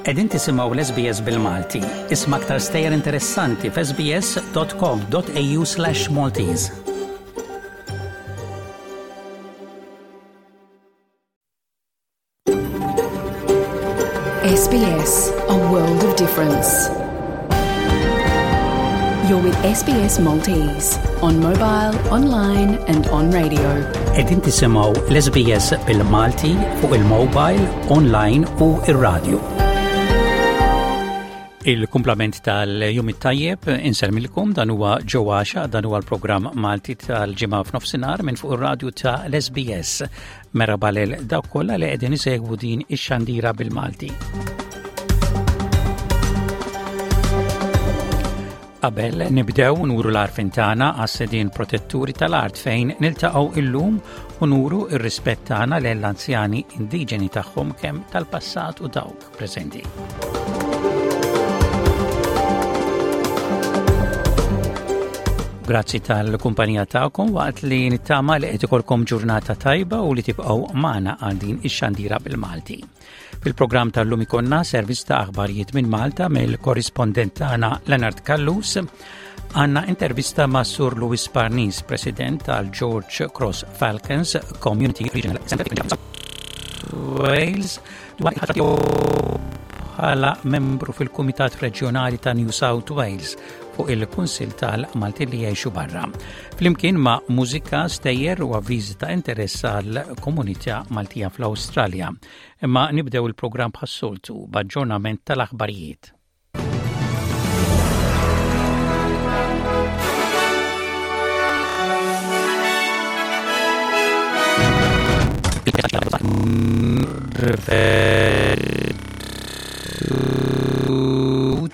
Qegħdin tisimgħu l-SBS bil-Malti. Isma' aktar stejjer interessanti f'sbs.com.au/Maltese. SBS, a world of difference. You're with SBS Maltese on mobile, online and on radio. Qegħdin tisimgħu l-SBS bil-Malti fuq il-mobile, online u ir-radio. Il-kumplament tal-jum it-tajjeb insellmilkom dan huwa ġewwaxa dan huwa l-programm Malti tal-ġimgħa f'nofsinhar minn fuq ir-radju ta' l-SBS. Merħba lil dawk kollha li qegħdin isegwu din ix-xandira bil-Malti. Qabel nibdew nuru l-arfin tagħna għas-sedin protetturi tal-art fejn niltaqgħu illum u nuru ir-rispett tagħna lejn l-anzjani indiġeni tagħhom kemm tal-passat u dawk preżenti. Grazzi tal-kumpanija tagħkom waqt li nittama li qed ikolkom ġurnata tajba u li tibqgħu magħna għal din ix-xandira bil-Malti. Fil-programm tal-lum ikonna servizz ta' aħbarijiet minn Malta mill-korrispondent tagħna Leonard Callus. Għanna intervista ma' Sur Louis Parnis, President tal-George Cross Falcons Community Regional Center Wales, dwar il-ħatra tiegħu bħala membru fil-Kumitat Reġjonali ta' New South Wales fuq il-Kunsil tal-Maltin li jgħixu barra. Flimkien ma' mużika, stejjer u avviżi ta' interess għal komunità Maltija fl-Awstralja. Imma nibdew il-programm bħas-soltu b'aġġornament tal-aħbarijiet.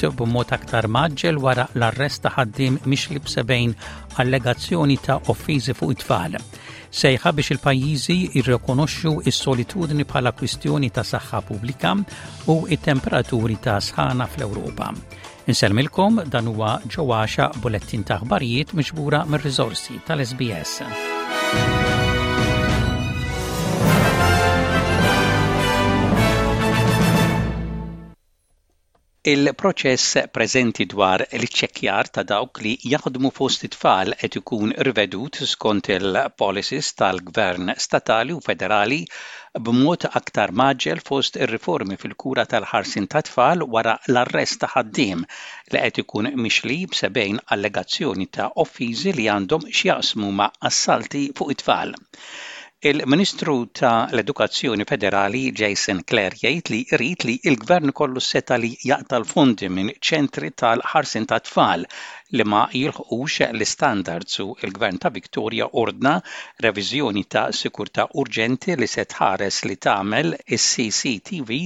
B'mod aktar maġġel wara l-arrest ta' ħaddiem mixli b'sebgħin allegazzjoni ta' offiżi fuq it-tfal. Sejħa biex il-pajjiżi jirrikonoxxu s-solitudni bħala kwistjoni ta' saħħa pubblika u it-temperaturi ta' sħana fl-Ewropa. Insellmilkom dan huwa ġewwaxa bulettin ta' aħbarijiet miġbura mir-riżorsi tal-SBS. Il-proċess preżenti dwar l-iċċekkjar ta' dawk li jaħdmu fost it-tfal qed ikun rivedut skont il-policies tal-Gvern statali u federali b'mod aktar mgħaġġel fost ir-riformi fil-kura tal-ħarsien tat-tfal wara l-arrest ta' ħaddiem li qed ikun mixli b'70 allegazzjoni ta' offiżi li għandhom x'jaqsmu ma' assalti fuq it-tfal. Il-Ministru ta' l-Edukazzjoni Federali Jason Clare jgħid li jrid li l-Gvern ikollu s-setgħa li jaqta' l-fondi minn ċentri tal-ħarsien tat-tfal li ma jilħqux l-istandards u l-Gvern ta' Victoria ordna reviżjoni ta' sikurtà urġenti li se tħares li tagħmel is-CCTV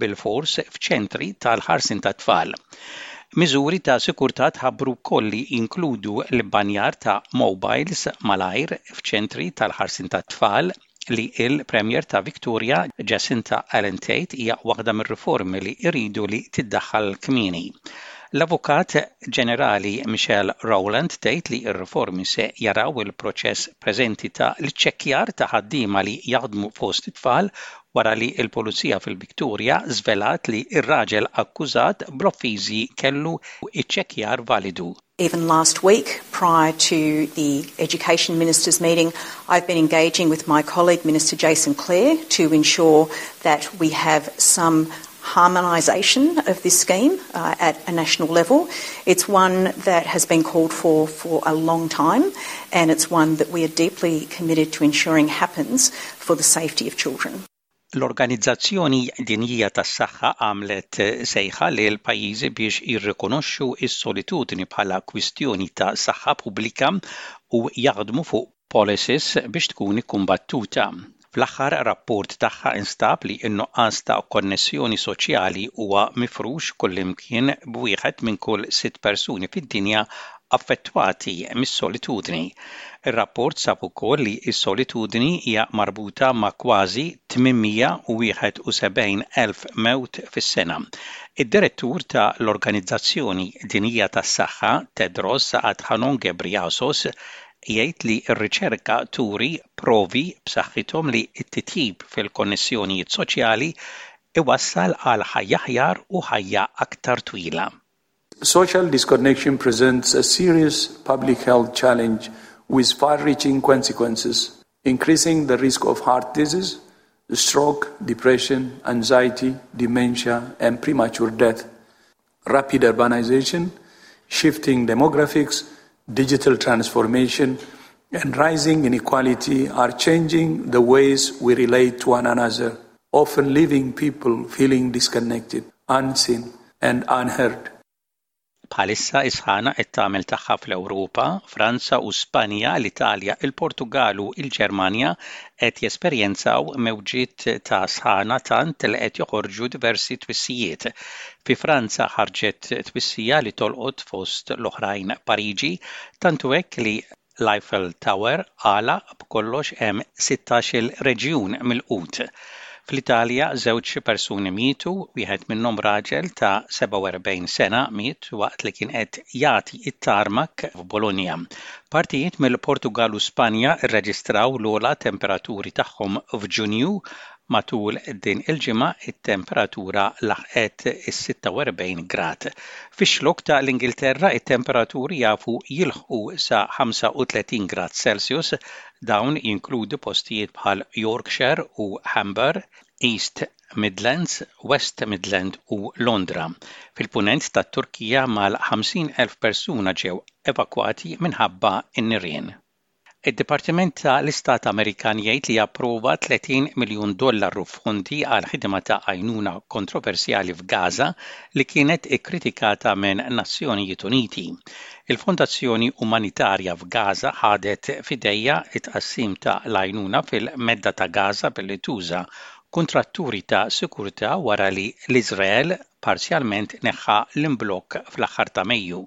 bilfors f'ċentri tal-ħarsien tat-tfal. Miżuri ta' sikurtà tħabbru wkoll li jinkludu l-ibbanjar ta' mobiles malajr f'ċentri tal-ħarsien tat-tfal, li l-Premier ta' Victoria, Jacinta Allan Tate hija waħda mir-riformi li jridu li tiddaħħal kmieni. L-Avukat Ġenerali Michelle Rowland tgħid li r-riformi se jaraw il-proċess preżenti ta' l-iċċekkjar ta' ħaddiema li jaħdmu fost it-tfal wara li l-Pulizija fil-Victoria żvelat li r-raġel akkużat bl-offiżi kellu iċċekkjar validu. Even last week, prior to the Education Ministers meeting, I've been engaging with my colleague, Minister Jason Clare, to ensure that we have some harmonisation of this scheme uh, at a national level. It's one that has been called for for a long time, and it's one that we are deeply committed to ensuring happens for the safety of children. L-Organizzazzjoni Dinjija tas-Saħħa għamlet sejħa lil pajjiżi biex jirrikonoxxu s-solitudni bħala kwistjoni ta' saħħa pubblika u jaħdmu fuq policies biex tkun ikkumbattuta. Fl-aħħar rapport tagħha instab li n-nuqqas ta' konnessjoni soċjali huwa mifrux kullimkien b'wieħed minn kull sitt persuni fid-dinja affettwati mis-solitudni. Ir-rapport sab ukoll li s-solitudni hija marbuta ma' kważi 871,000 mewt fis-sena. Id-Direttur ta' l-Organizzazzjoni Dinjija tas-Saħħa, Tedros Adhanom Ghebreyesus, jgħid li r-riċerka turi provi b'saħħithom li t-titjib fil-konnessjonijiet soċjali iwassal għal ħajja aħjar u ħajja aktar twila. Social disconnection presents a serious public health challenge with far-reaching consequences, increasing the risk of heart disease, stroke, depression, anxiety, dementia, and premature death. Rapid urbanization, shifting demographics, digital transformation, and rising inequality are changing the ways we relate to one another, often leaving people feeling disconnected, unseen, and unheard. Bħalissa is-sħana qed tagħmel tagħha fl-Ewropa, Franza u Spanja, l-Italja, il-Portugal u l-Ġermanja qed jesperjenzaw mewġiet ta' sħana tant li qed joħorġu diversi twissijiet. Fi Franza ħarġet twissija li tolqot fost l-oħrajn Pariġi, tant hu hekk li L-Eiffel Tower għalaq, b'kollox hemm sittax-il reġjun milqut. Fl-Italja żewġ persuni mietu, wieħed minnhom raġel ta' 47 sena miet waqt li kien qed jagħti t-tarmak f'Bologna. Partijiet mill-Portugall u Spanja rreġistraw l-ogħla temperaturi tagħhom f'Ġunju Matul din il-ġimgħa it-temperatura laħqet is-46 grad. Fix-Xlokk ta' l-Ingilterra it-temperaturi jafu jilħqu sa 35 grad Celsius. Dawn jinkludu postijiet bħal Yorkshire u Humber, East Midlands, West Midland u Londra. Fil-Punent tat-Turkija mal-50,000 persuna ġew evakwati minħabba n-nirien. Id-Dipartiment ta' l-Istat Amerikan jgħid li approva 30 miljun dollaru f'fondi għal ħidma ta' għajnuna kontroversjali f'Gaza li kienet ikkritikata minn Nazzjonijiet Uniti. Il-Fondazzjoni Umanitarja f'Gaza ħadet f'idejha t-tqassim ta' l-għajnuna fil-Medda ta' Gaza billi tuża kuntratturi ta' sikurtà wara li l-Iżrael parzjalment neħħa l-imblokk fl-aħħar ta' Mejju.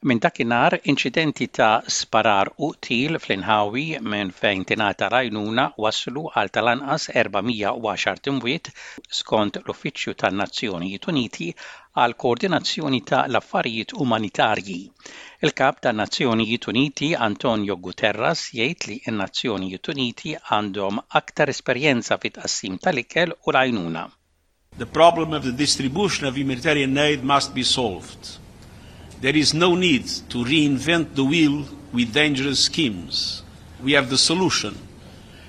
Minn dakinhar, inċidenti ta' sparar u qtil fl-inħawi minn fejn tingħata l-għajnuna wasslu għal tal-anqas 410 imwiet, skont l-Uffiċċju tan-Nazzjonijiet Uniti għall-Koordinazzjoni ta' l-Affarijiet Umanitarji. Il-Kap tan-Nazzjonijiet Uniti Antonio Guterres jgħid li n-Nazzjonijiet Uniti għandhom aktar esperjenza fit-tqassim tal-ikel u l-għajnuna. The problem of the distribution of humanitarian aid must be solved. There is no need to reinvent the wheel with dangerous schemes. We have the solution.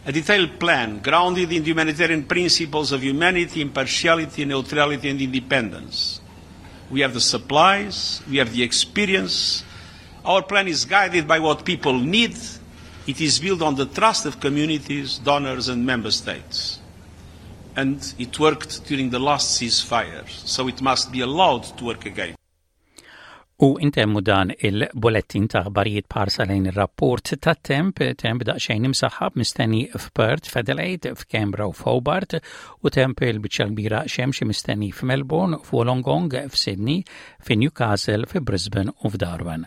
A detailed plan grounded in the humanitarian principles of humanity, impartiality, neutrality and independence. We have the supplies, we have the experience. Our plan is guided by what people need. It is built on the trust of communities, donors and member states and it worked during the last ceasefire, so it must be allowed to work again. U intemmu dan il-bulettin ta' aħbarijiet b'ħarsa lejn ir-rapport tat-temp, temp daqsxejn imsaħħab mistenni f'Perth, f'Adelaide, f'Canberra u f'Hobart, u temp il-biċċa kbira xemxi mistenni f'Melbourne, f'Wollongong, f'Sydney, fi Newcastle, fi Brisbane u f'Darwin.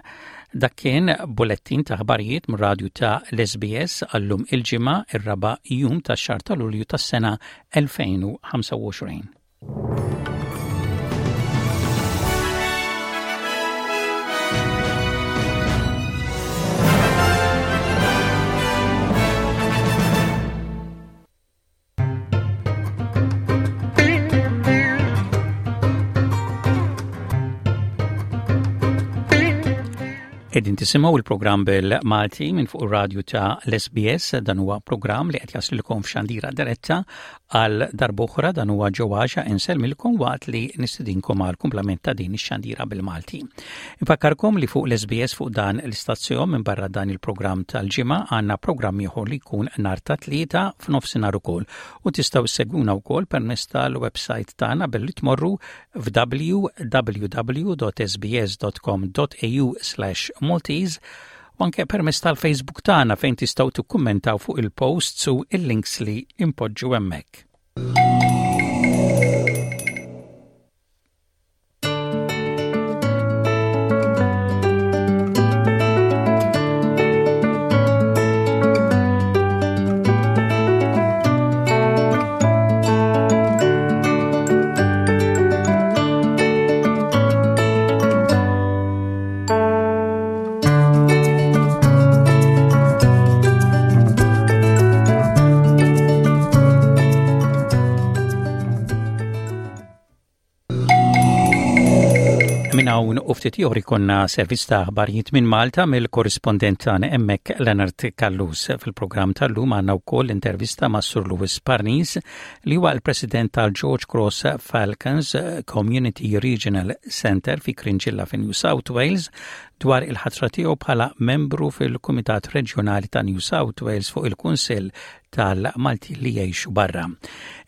Dak kien bulettin ta' aħbarijiet mir-radju ta' l-SBS għallum il-Ġimgħa ir-raba' jum tax-xahar ta' Lulju tas-sena 2025. Qegħdin tisimgħu il-programm bil-Malti minn fuq ir-radju ta' l-SBS dan huwa programm li qed jaslilkom f'xandira diretta għal darb'oħra dan huwa ġewwaxa insellmilkom waqt li nistedinkom għal kumplament ta' din ix-xandira bil-Malti. Infakkarkom li fuq l-SBS fuq dan l-istazzjon minn barra dan il-programm tal-ġimgħa għandna programm ieħor li jkun nhar ta' tlieta f'nofsinhar ukoll u tistgħu ssegwuna wkoll permezz tal-website tagħna billi tmorru f'www.sbs.com.au/maltese u anke permezz tal-Facebook tagħna fejn tistgħu tikkummentaw fuq il-posts u il-links li impoġġu hemmhekk. Minn hawn u ftit ieħor ikollna servizz ta' aħbarijiet minn Malta mill-korrispondent tagħna hemmhekk Leonard Callus. Fil-programm tal-lum għandna wkoll intervista ma' Sur Louis Parnis li huwa l-President tal-George Cross Falcons Community Regional Centre fi Cringilla fi New South Wales dwar il-ħatra tiegħu bħala membru fil-Kumitat Reġjonali ta' New South Wales fuq il-Kunsill tal-Maltin li jgħixu barra.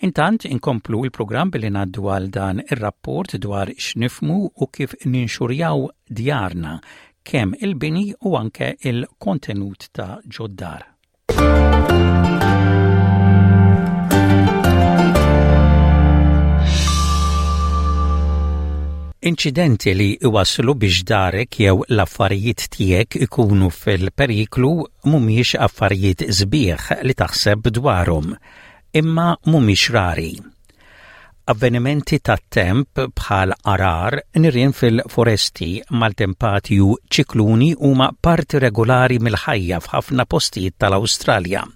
Intant inkomplu il-programm billi ngħaddu għal dan ir-rapport dwar x'nifmu u kif ninxurjaw djarna kemm il-bini u anke il-kontenut ta' ġoddar. Inċidenti li iwasslu biex darek jew l-affarijiet tiegħek ikunu fil-periklu mhumiex affarijiet sbieħ li taħseb dwarhom, imma mhumiex rari. Avvenimenti tat-temp bħal għarar, nirien fil-foresti, maltempati u ċikluni huma parti regolari mill-ħajja f'ħafna postijiet tal-Awstralja.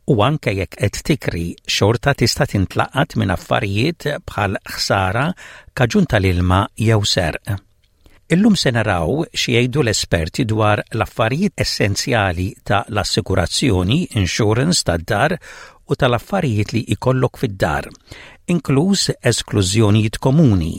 U anke jekk qed tikri, xorta tista' tintlaqat minn affarijiet bħal ħsara kaġun tal-ilma jew serq. Illum se naraw xi jgħidu l-esperti dwar l-affarijiet essenzjali ta' l-assikurazzjoni, insurance tad-dar u tal-affarijiet li jkollok fid-dar, inkluż esklużjonijiet komuni,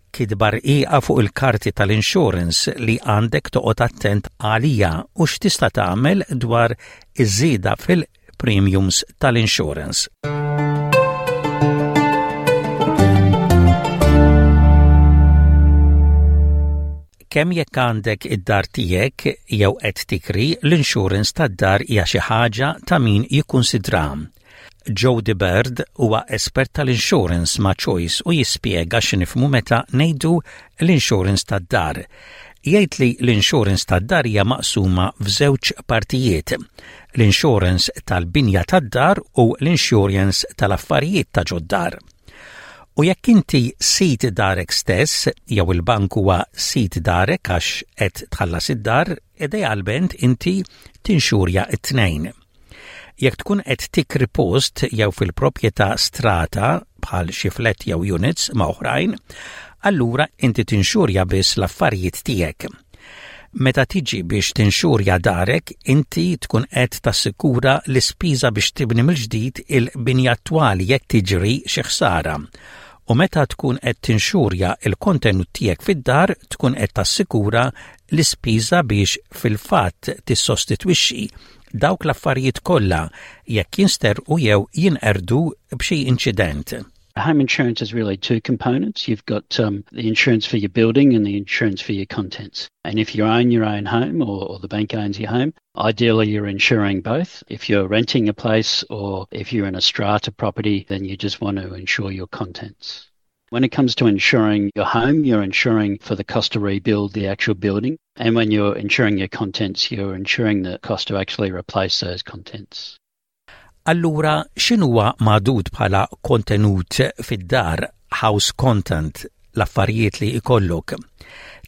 kitba rqiqa fuq il-karti tal-insurance li għandek toqgħod attent għaliha u x'tista' tagħmel dwar iż-żieda fil premiums tal-insurance. Kemm jekk għandek id-dar tiegħek jew qed tikri, l-insurance tad-dar hija xi ħaġa ta' min jikkunsidra. Jody Bird huwa espert tal-insurance ma' Choice u jispjega x'nifhmu meta ngħidu l-insurance tad-dar. Jgħid li l-insurance tad-dar hija maqsuma f'żewġ partijiet, l-insurance tal-binja tad-dar u l-insurance tal-affarijiet ta' ġod-dar. U jekk inti sid darek stess jew il-bank huwa sid darek għax qed tħallas id-dar, idealment inti tinxurja t-tnejn. Jekk tkun qed tikri post jew fil-proprjetà strata bħal xi flat jew units ma' oħrajn, allura inti tinxurja biss l-affarijiet tiegħek. Meta tiġi biex tinxurja darek, inti tkun qed tassikura l-ispiża biex tibni mill-ġdid il-binja attwali jekk tiġri xi ħsara. U meta tkun qed tinxurja l-kontenut tiegħek fid-dar, tkun qed tassikura l-ispiża biex fil-fatt tissostitwixxi dawk l-affarijiet kollha jekk jinsterqu jew jinqerdu b'xi inċident. Home insurance is really two components. You've got um, the insurance for your building and the insurance for your contents. And if you own your own home or, or the bank owns your home, ideally you're insuring both. If you're renting a place or if you're in a strata property, then you just want to insure your contents. When it comes to insuring your home, you're insuring for the cost to rebuild the actual building. And when you're insuring your contents, you're insuring the cost to actually replace those contents. Allura x'inhuwa magħdud bħala kontenut fid-dar, house content, l-affarijiet li jkollok?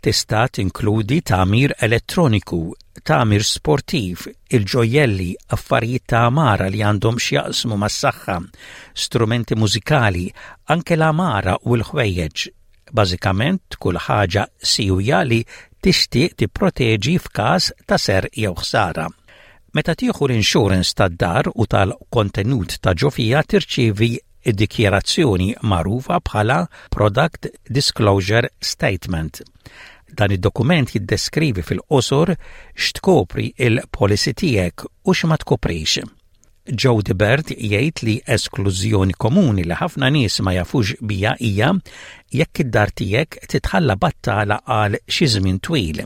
Tista' tinkludi tagħmir elettroniku, tagħmir sportiv, il-ġojjelli, affarijiet ta' għamara li għandhom x'jaqsmu mas-saħħa, strumenti mużikali, anke l-għamara u l-ħwejjeġ. Bażikament kull ħaġa siwja li tixtieq tipproteġi f'każ ta' serq jew ħsara. Meta tieħu l-insurance tad-dar u tal-kontenut ta' ġo fiha tirċievi id-dikjarazzjoni magħrufa bħala Product Disclosure Statement. Dan id-dokument jiddeskrivi fil-qosor x'tkopri il-policy tiegħek u x'ma tkoprix. Jody Bird jgħid li esklużjoni komuni li ħafna nies ma jafux biha hija jekk id-dar tiegħek titħalla battala għal xi żmien twil.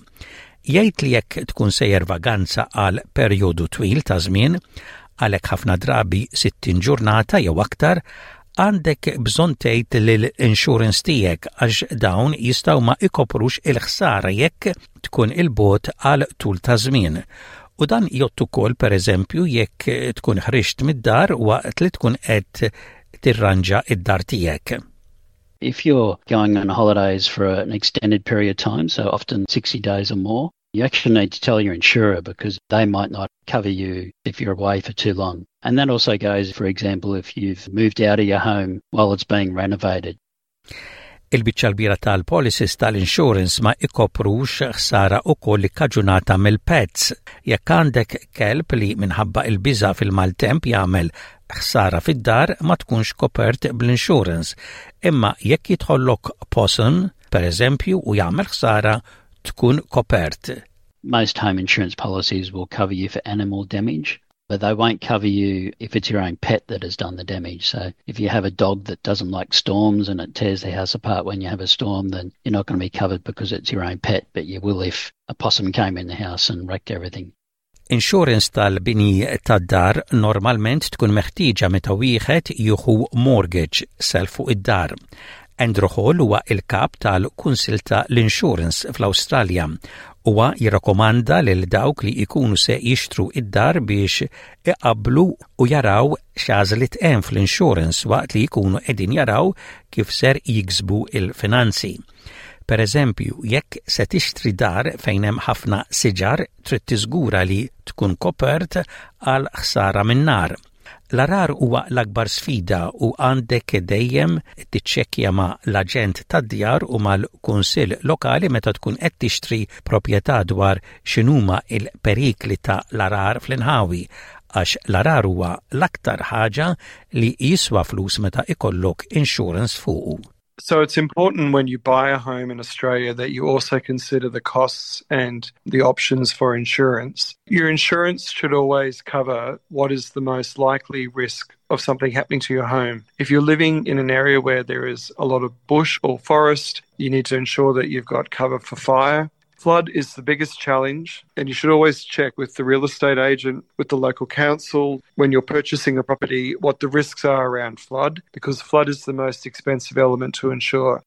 Jgħid li jekk tkun sejjer vaganza għal perjodu twil ta' żmien, għalhekk ħafna drabi 60 ġurnata jew aktar, għandek bżonn tgħid lill-insurance tiegħek għax dawn jistgħu ma ikoprux il-ħsara jekk tkun 'il bogħod għal tul ta' żmien. U dan jgħodd ukoll pereżempju jekk tkun ħriġt mid-dar waqt li tkun qed tirranġa d-dar tiegħek. If you're going on holidays for an extended period of time, so often 60 days or more, you actually need to tell your insurer because they might not cover you if you're away for too long. And that also goes, for example, if you've moved out of your home while it's being renovated. Il-biċċa l-kbira tal-policies tal-insurance ma ikoprux ħsara ukoll ikkaġunata mill-pets. Jekk għandek kelb li minħabba il-biża' fil-maltemp jagħmel ħsara fid-dar ma tkunx kopert bl-insurance. Imma jekk jidħollok possum, per eżempju, u jagħmel ħsara, tkun kopert. Most home insurance policies will cover you for animal damage, but they won't cover you if it's your own pet that has done the damage. So if you have a dog that doesn't like storms and it tears the house apart when you have a storm, then you're not going to be covered because it's your own pet, but you will if a possum came in the house and wrecked everything. Insurance tal-bini tad-dar normalment tkun meħtieġa meta wieħed jieħu mortgage, self fuq id-dar. Andrew Hall huwa il-kap tal-Kunsill ta' l-Insurance fl-Awstralja. Huwa jirrakkomanda lil dawk li jkunu se jixtru id-dar biex iqabblu u jaraw x'għażliet hemm fl-insurance waqt li jkunu qegħdin jaraw kif ser jiksbu il-finanzi. Per eżempju, jekk se tixtri dar fejn hemm ħafna siġar, trid tiżgura li tkun kopert għal ħsara min-nar. L-għarar huwa l-akbar sfida u għandek dejjem tiċċekkja ma' l-aġent tad-djar u mal-kunsill lokali meta tkun qed tixtri proprjetà dwar x'inhuma l-perikli ta' l-għarar fl-inħawi għax l-għarar huwa l-aktar ħaġa li jiswa flus meta ikollok insurance fuqu. So it's important when you buy a home in Australia that you also consider the costs and the options for insurance. Your insurance should always cover what is the most likely risk of something happening to your home. If you're living in an area where there is a lot of bush or forest, you need to ensure that you've got cover for fire. Flood is the biggest challenge, and you should always check with the real estate agent, with the local council, when you're purchasing a property, what the risks are around flood, because flood is the most expensive element to insure.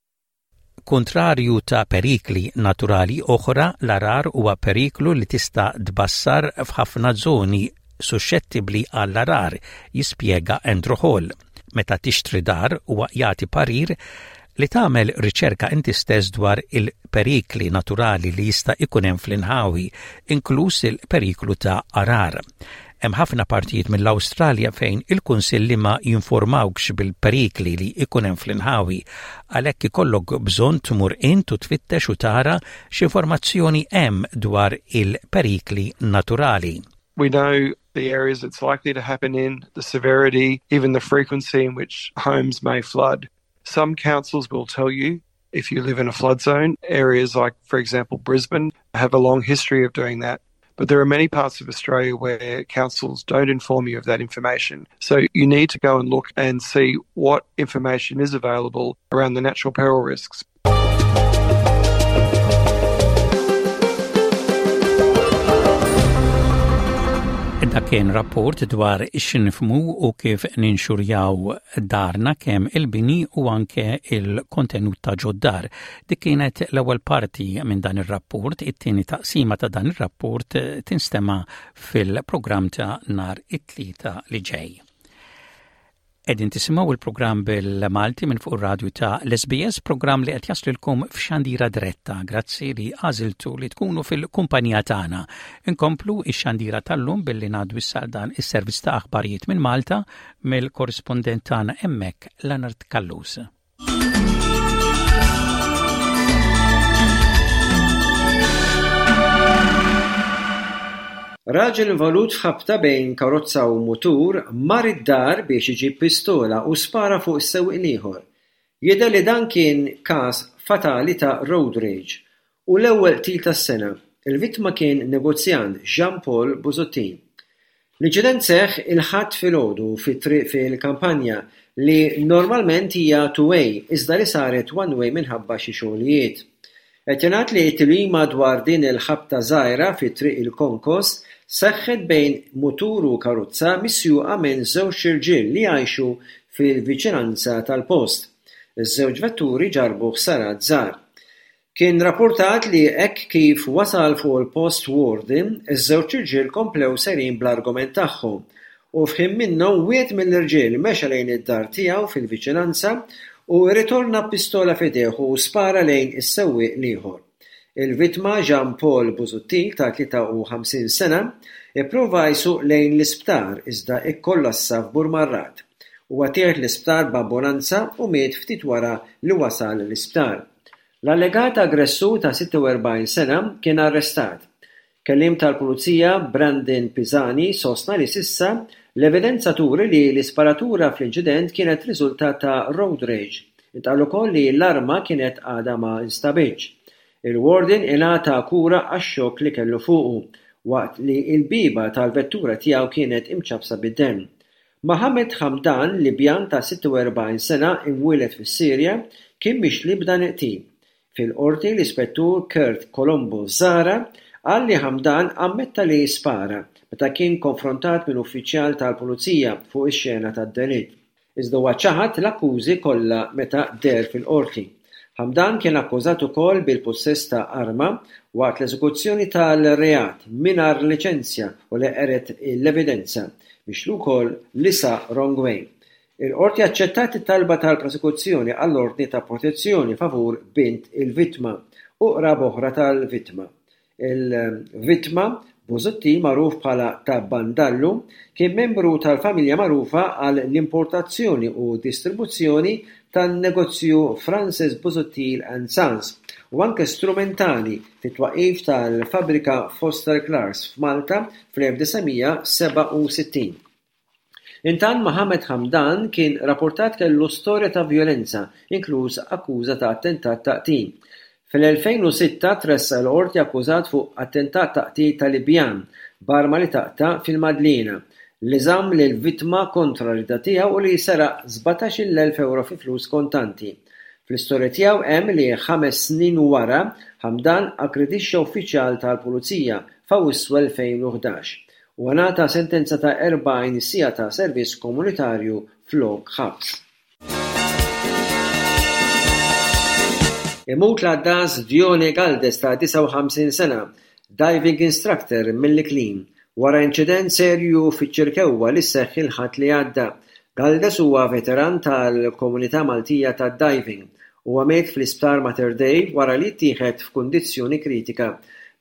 Kuntrarju ta' perikli naturali oħra, l-għarar huwa periklu li tista' tbassar f'ħafna żoni suxxettibbli għall-għarar, jispjega Andrew Hall. Meta tixtri dar huwa jagħti parir li tagħmel riċerka inti stess dwar il-perikli naturali li jista' ikun hemm fl-inħawi, inkluż il-periklu ta' għarar. Hemm ħafna partijiet mill-Awstralja fejn il-kunsilli ma jinformawkx bil-perikli li ikun hemm fl-inħawi, għalhekk ikollok bżonn tmur int u tfittex u tara x'informazzjoni hemm dwar il-perikli naturali. We know the areas it's likely to happen in, the severity, even the frequency in which homes may flood. Some councils will tell you if you live in a flood zone. Areas like, for example, Brisbane have a long history of doing that. But there are many parts of Australia where councils don't inform you of that information. So you need to go and look and see what information is available around the natural peril risks. Dak kien rapport dwar x'nifmu u kif ninxurjaw darna kemm il-bini u anke il-kontenut ta' ġod-dar. Dik kienet l-ewwel parti minn dan ir-rapport, it-tieni taqsima ta' dan ir-rapport tinstema' fil-programm ta' nhar it-Tlieta li ġej. Qegħdin tisimgħu il-programm bil-Malti minn fuq ir-radju ta' l-SBS, programm li qed jaslilkom f'xandira diretta. Grazzi li għażiltu li tkunu fil-kumpanija tagħna. Inkomplu ix-xandira tal-lum billi ngħaddu issa dan is-servizz ta' aħbarijiet minn Malta mill-korrispondent tagħna hemmhekk Leonard Callus. Raġel involut f'ħabta bejn karozza u mutur mar id-dar biex iġib pistola u spara fuq is-sewwieq l-ieħor. Jidher li dan kien każ fatali ta' road rage u l-ewwel qtil tas-sena. Il-vittma kien negozjant Jean Paul Busuttil. L-inċident seħħ il-Ħadd filgħodu fi triq fil-kampanja li normalment hija two-way iżda li saret one-way minħabba xi xogħlijiet. Qed jingħad li t-tilwima dwar din il-ħabta żgħira fi Triq il-Konkos seħħet bejn mutur u karozza misjuqa minn żewġt irġiel li jgħixu fil-viċinanza tal-post. Iż-żewġ vetturi ġarrbu ħsarat żgħar. Kien rappurtat li hekk kif wasal fuq il-post warden, iż-żewġt irġiel komplew sejrin bl-argument tagħhom u f'ħin minnhom wieħed mill-irġiel mexa lejn id-dar tiegħu fil-viċinanza u rritorna b'pistola f'idejh u spara lejn is-sewwieq l-ieħor. Il-vittma Jean Paul Busuttil ta' 53 sena ipprova jsuq lejn l-isptar iżda kkollassa f'Burmarrad. Huwa ttieħed l-isptar b'ambulanza u miet ftit wara li wasal l-isptar. L-allegat aggressur ta' 46 sena kien arrestat. Kelliem tal-Pulizija Brandon Pisani sostna li s'issa l-evidenza turi li l-isparatura fl-inċident kienet riżultat ta' road rage. Intqal ukoll li l-arma kienet għadha ma nstabitx. Il-warden ingħata kura għax-xokk li kellu fuqu, waqt li l-bieba tal-vettura tiegħu kienet imċappsa bid-demm. Mohammed Hamdan, Libjan ta' 46 sena imwieled fis-Sirja, kien mixli b'dan il-qtil. Fil-Qorti, l-Ispettur Kurt Colombo Zahra qal li Hamdan ammetta li spara meta kien konfrontat minn uffiċjal tal-Pulizija fuq ix-xena tad-delitt. Iżda huwa ċaħad l-akkużi kollha meta deher fil-Qorti. Hamdan kien akkużat ukoll bil-pussess ta' arma waqt l-eżekuzzjoni tal-reat mingħajr liċenzja u li qered l-evidenza, mixli wkoll li saq wrong way. Il-Qorti aċċettat it-talba tal-prosekuzzjoni għall-ordni ta' protezzjoni favur bint il-vittma u qraba oħra tal-vittma. Il-vittma, Busuttil magħruf bħala Ta' Bandallu, kien membru tal-familja magħrufa għal l-importazzjoni u distribuzzjoni tan-negozju Francis Busuttil and Sons u anke strumentali fit-twaqqif tal-fabbrika Foster Clarks f'Malta fl-1967. Intant Mohammed Hamdan kien rapportat kellu storja ta' vjolenza, inkluż akkuża ta' attentat ta' qtil. Fl-2006 tressaq il-Qorti akkużat fuq attentat ta' qtil ta' Libjan b'arma li taqta' fil-Madliena, li żamm lill-vittma kontra r-rieda tiegħu u li seraq 17,000 ewro fi flus kontanti. Fl-istorja tiegħu hemm li ħames snin wara Hamdan aggredixxa uffiċjal tal-Pulizija f'Awwissu 2011. Huwa ngħata sentenza ta' 40 siegħa ta' servizz komunitarju flok ħabs. Imut l-għaddas Dione Galdes ta' 59 sena, diving instructor mill-Iklin, wara inċident serju fiċ-Ċirkewwa li seħħ il-Ħadd li għadda. Galdes huwa veteran tal-komunità Maltija tad-diving. Huwa miet fl-Isptar Mater Dei wara li ttieħed f'kundizzjoni kritika.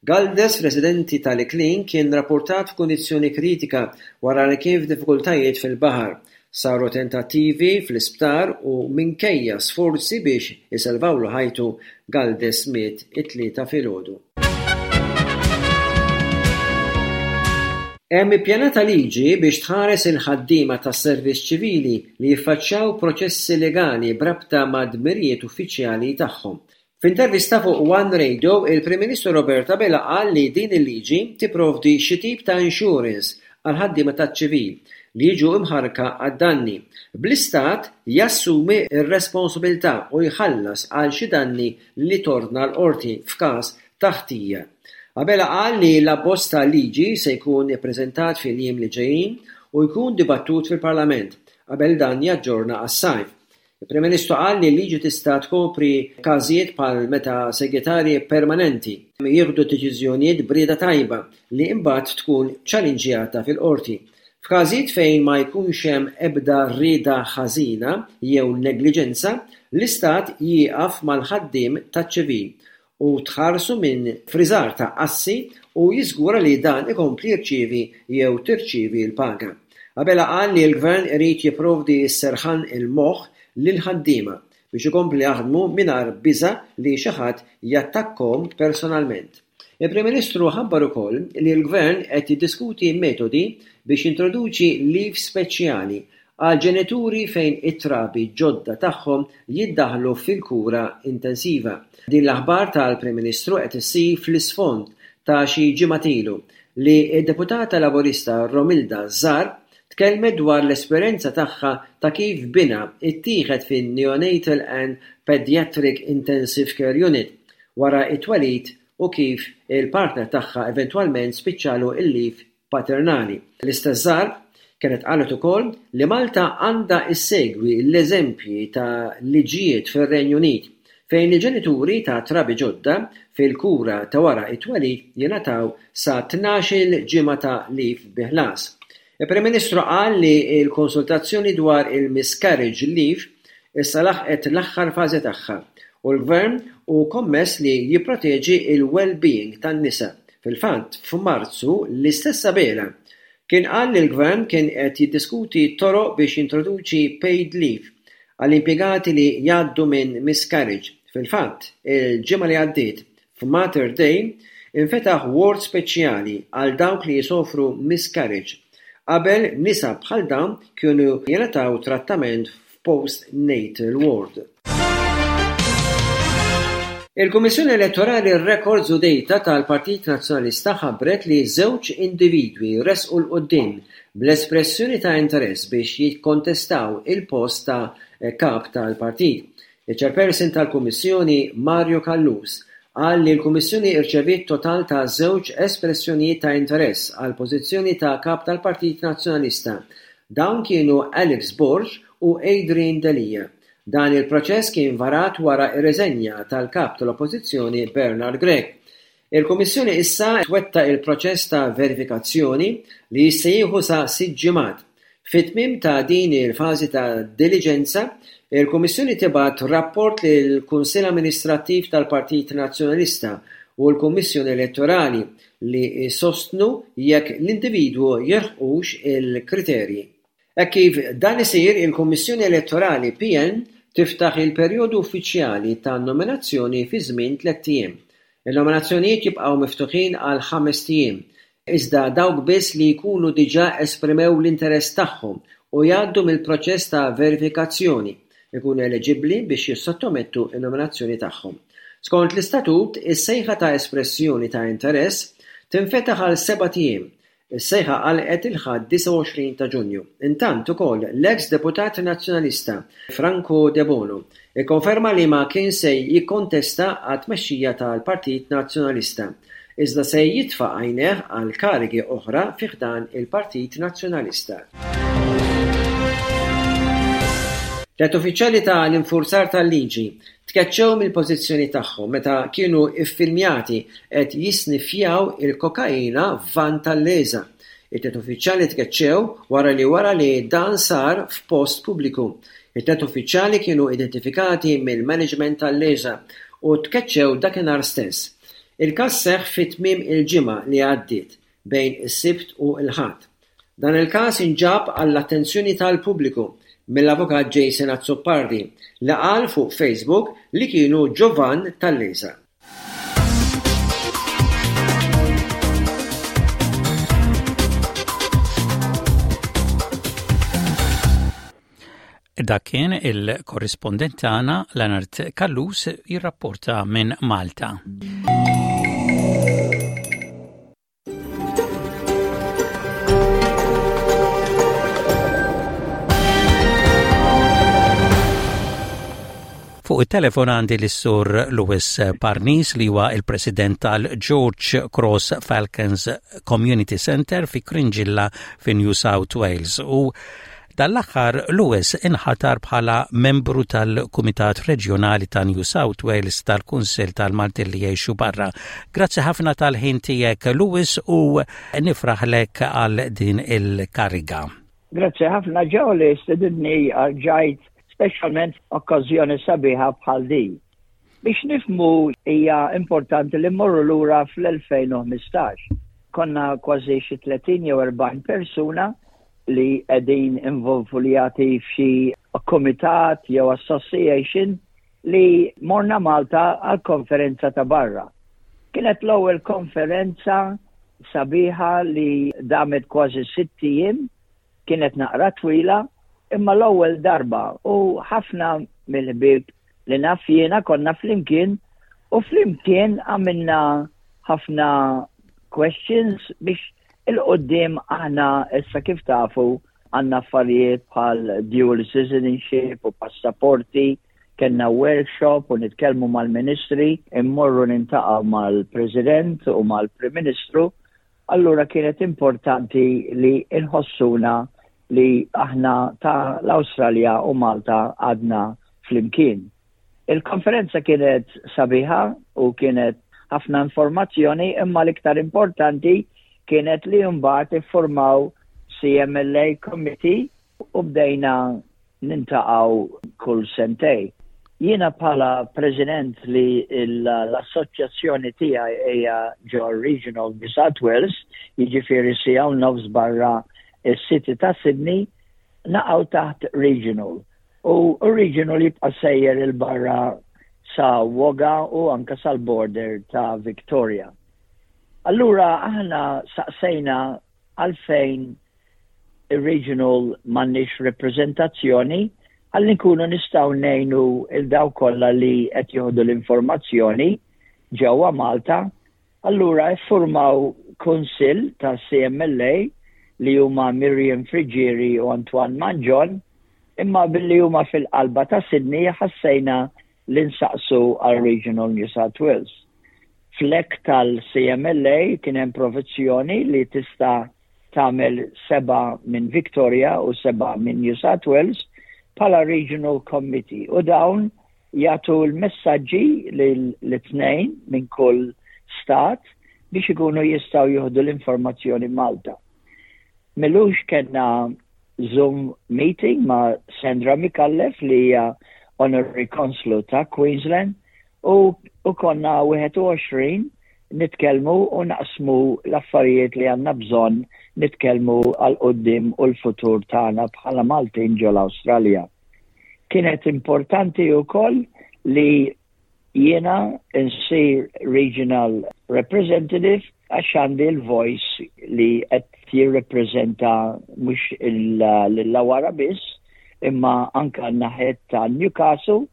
Galdes, residenti tal-Iklin, kien rappurtat f'kundizzjoni kritika wara li kien f'diffikultajiet fil-baħar. Saru tentattivi fl-isptar u minkejja sforzi biex isalvawlu ħajtu, Galdes miet it-Tlieta filgħodu. Hemm ippjanata liġi biex tħares il-ħaddiema tas-servizz ċivili li jiffaċċjaw proċessi legali b'rabta mad-dmirijiet uffiċjali tagħhom. F'intervista fuq One Radio, il-Prim Ministru Robert Abela qal li din il-liġi tipprovdi xi tip ta' insurance għall-ħaddiema taċ-ċivil li jiġu imħarrka għad-danni, bl-Istat jassumi r-responsabilità u jħallas għal xi danni li tordna l-Qorti f'każ ta' ħtija. Abela qal li l-abbozz ta' liġi se jkun ippreżentat fil-jiem li ġejjin u jkun dibattut fil-Parlament qabel dan jaġġorna għas-sajf. Il-Prim Ministru qal li l-liġi tista' tkopri każijiet bħal meta segretarji permanenti jieħdu deċiżjonijiet b'rieda tajba li imbagħad tkun ċalinġjata fil-Qorti. F'każijiet fejn ma jkunx hemm ebda rieda ħażina jew negliġenza, l-Istat jieqaf mal-ħaddiem taċ-ċivil u tħarsu minn friżar ta' assi u jiżgura li dan ikompli jirċievi jew tirċievi l-paga. Abela qal li l-Gvern irid jipprovdi s-serħan il-moħħ lill-ħaddiema biex ikomplu jaħdmu mingħajr biża' li xi ħadd jattakkhom personalment. Il-Prim Ministru ħabbar ukoll li l-Gvern qed jiddiskuti metodi biex jintroduċi leave speċjali għall-ġenituri fejn it-trabi ġodda tagħhom jiddaħħlu fil-kura intensiva. Din l-aħbar tal-Prim Ministru qed issir fl-isfond ta' xi ġimgħat ilu li d-Deputata Laburista Romilda Zarb tkellmet dwar l-esperjenza tagħha ta' kif binha ttieħed fin-Neonatal and Paediatric Intensive Care Unit wara t-twelid u kif il-partner tagħha eventwalment spiċċalu l-leave paternali. L-istess Zarb kienet qalet ukoll li Malta għandha issegwi l-eżempji ta' liġijiet fir-Renju Unit fejn il-ġenituri ta' trabi ġodda fil-kura ta' wara t-twelid jingħataw sa 12-il ġimgħa ta' leave bi ħlas. Il-Prim Ministru qal li l-konsultazzjoni dwar il-miscarriage leave issa laħqet l-aħħar fażi tagħha u l-Gvern hu kommess li jipproteġi l-well-being tan-nisa. Fil-fatt, f'Marzu, l-istess Abela. Kien qal li l-Gvern kien qed jiddiskuti toroq biex jintroduċi paid leave għall-impjegati li jgħaddu minn miscarriage. Fil-fatt, il-ġimgħa li għaddiet, f'Mater Dei, infetaħ ward speċjali għal dawk li jsofru miscarriage. Qabel, nisa bħal dawn kienu jingħataw trattament f'post natal ward. Il-Kummissjoni Elettorali Records u Data tal-Partit Nazzjonalista ħabbret li żewġ individwi resqu 'l quddiem bl-espressjoni ta' interess biex jikkontestaw il-post ta' Kap tal-Partit. Iċ-Chairperson tal-Kummissjoni Mario Callus qal li l-Kummissjoni rċeviet total ta' żewġ espressjonijiet ta' interess għall-pożizzjoni ta' Kap tal-Partit Nazzjonalista. Dawn kienu Alex Borg u Adrian Delia. Dan il-proċess kien varat wara r-riżenja tal-Kap tal-Oppożizzjoni Bernard Grech. Il-Kummissjoni issa twettaq il-proċess ta' verifikazzjoni li jista' jieħu sa sitt ġimgħat. Fit-tmiem ta' din il-fażi ta' diliġenza, il-Kummissjoni tibgħat rapport lill-Kunsill Amministrattiv tal-Partit Nazzjonalista u l-Kummissjoni Elettorali li jsostnu jekk l-individwu jilħqux il-kriterji. Hekk kif dan isir, il-Kummissjoni Elettorali PN tiftaħ il-perjodu uffiċjali ta' nominazzjoni fi żmien tlett ijiem. In-nominazzjonijiet jibqgħu miftuħin għal ħamest ijiem, iżda dawk biss li jkunu diġà esprimew l-interess tagħhom u jgħaddu mill-proċess ta' verifikazzjoni, ikunu eliġibbli biex jissottomettu n-nominazzjoni tagħhom. Skont l-istatut, is-sejħa ta' espressjoni ta' interess tinfetaħ għal sebat ijiem. Is-sejħa għalqet il-Ħadd 29 ta' Ġunju. Intant ukoll l-eks Deputat Nazzjonalista Franco Debono ikkonferma li ma kien se jikkontesta għat-tmexxija tal-Partit Nazzjonalista, iżda se jitfa' għajnejh għal karigi oħra fi ħdan il-Partit Nazzjonalista. Tlett uffiċjali ta' l-infurzar tal-liġi tkeċċew mill-pożizzjoni tagħhom meta kienu ffilmjati qed jisniffjaw il-kokaina f'vann tal-LESA. It-tliet uffiċjali tkeċċew wara li wara li dan sar f'post pubbliku. It-tliet uffiċjali kienu identifikati mill-maniġment tal-LESA u tkeċċew dakinhar stess. Il-każ seħħ fi tmiem il-ġimgħa li għaddiet, bejn is-Sibt u l-Ħadd. Dan il-każ inġab għall-attenzjoni tal-pubbliku mill-Avukat Jason Azzopardi li qal fuq Facebook li kienu ġo vann tal-LESA. Dak kien il-korrispondent tagħna Leonard Callus jirrapporta minn Malta. Fuq it-telefon għandi l-Sur Louis Parnis li huwa il-President tal-George Cross Falcons Community Center fi Cringilla fi New South Wales u Dan l-aħħar Lewis inħatar bħala membru tal-Kumitat Reġjonali ta' New South Wales tal-Kunsill tal-Maltin li jgħixu barra. Grazzi ħafna tal-ħin tiegħek Lewis u nifraħlek għal din il-kariga. Grazzi ħafna ġew li stedinni għal speċjalment okkażjoni sabiħa bħal din. Biex nifhmu hija importanti li mmorru lura fl-2015. Konna kważi xi 30 jew 40 persuna li qegħdin involvuljati f'xi komitat jew association li morna Malta għal konferenza ta' barra. Kienet l-ewwel konferenza sabiħa li damet kważi sitt ijiem Kienet naqra twila, imma l-ewwel darba u ħafna mill-ħbieb li naf jiena konna flimkien u flimkien għamilna ħafna questions biex il-qoddim aħna issa kif tafu għandna affarijiet bħal dual citizenship u passaporti, kellna workshop u nitkellmu mal-ministri, immorru nintaqgħu mal-President u mal-Prim Ministru allura kienet importanti li nħossuna li aħna ta' l-Awstralja u Malta għadna flimkien. Il-konferenza kienet sabiħa u kienet ħafna informazzjoni imma l-iktar importanti kienet li mbagħad iffurmaw CMLA Committee u bdejna nintaqgħu kull sentej. Jiena bħala President li l-assoċjazzjoni tiegħi hija ġo Region of New South Wales, jiġifieri siegħa u nofs barra s-City ta' Sydney, naqgħu taħt Regional. U Regional jibqa' sejjer 'il barra sa Wagga u anke sal-border ta' Victoria. Allura aħna saqsejna għalfejn ir-regional m'għandniex repreżentazzjoni ħalli nkunu nistgħu ngħinu il dawk kollha li qed jieħdu l-informazzjoni ġewwa Malta. Allura iffurmaw kunsill ta' CMLA li huma Miriam Friggieri u Antoine Mangion, imma billi huma fil-qalba ta' Sydney ħassejna li nsaqsu għal Regional New South Wales. Fl-Act tal-CMLA kien hemm provizzjoni li tista' tagħmel sebgħa minn Victoria u sebgħa minn New South Wales bħala Regional Committee u dawn jagħtu l-messaġġi lil tnejn minn kull stat biex ikunu jistgħu jieħdu l-informazzjoni Malta. M'ilux kellna Zoom meeting ma' Sandra Micallef li hija Honorary Consul ta' Queensland u, u konna 21 nitkellmu u naqsmu l-affarijiet li għandna bżonn nitkellmu għal quddiem u l-futur tagħna bħala Maltin ġol Awstralja. Kienet importanti wkoll li jiena nsir regional representative għax għandi l-voice li qed jirrepreżenta mhux l-Illawarra biss imma anka n-naħet ta' Newcastle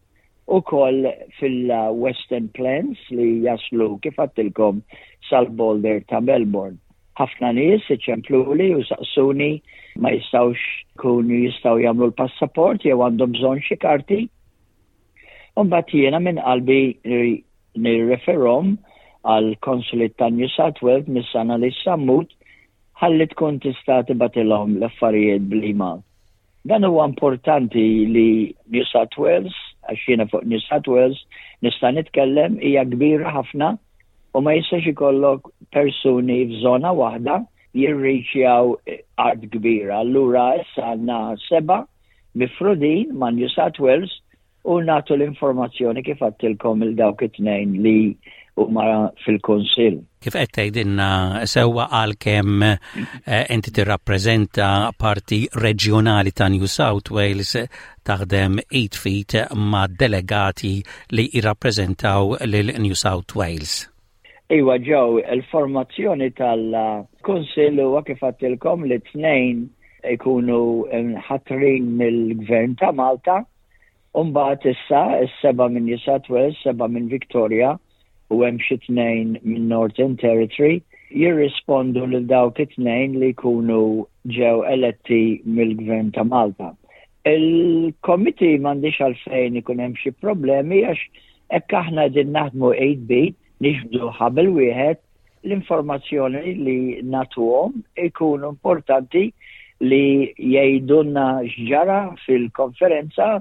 u koll fil-Western Plains li jaslu kif għedtilkom sal-border ta' Melbourne. Ħafna nies iċempluli u saqsuni ma jistgħux kunu jistgħu jagħmlu l-passaport jew għandhom bżonn xi karti. Mbagħad jiena minn qalbi nirreferhom għal Consulate ta' New South Wales mis-sena li sammut ħalli tkun tista' tibgħatilhom l-affarijiet bl-email. Dan huwa importanti li New South Wales, għax jiena fuq New South Wales nista' nitkellem hija kbira ħafna u ma jistax ikollok persuni f'żona waħda jirriċjaw art kbira. Allura issa għandna seba' mifrudin ma' New South Wales u nagħtu l-informazzjoni kif għedtilkom il dawk it-tnejn li huma fil-Kunsill. Kif qed tgħidilna sewwa għalkemm eh, inti tirrappreżenta parti reġjonali ta' New South Wales taħdem id f'id ma' delegati li jirrappreżentaw lil New South Wales. Iwa ġew il-formazzjoni tal-Kunsill huwa kif għedtilkom li tnejn ikunu ħatrin mill-Gvern ta' Malta Umbagħad issa s-seba' minn New South Wales, seba' minn Victoria u hemm xi tnejn minn Northern Territory jirrispondu lil dawk it-tnejn li jkunu ġew eletti mill-Gvern ta' Malta. Il-committee m'għandix għalfejn ikun hemm xi problemi għax hekk aħna qegħdin naħdmu 8 bit, niġbdu ħabel wieħed l-informazzjoni li nagħtuhom ikunu importanti li jgħidulna x'ġara fil-konferenza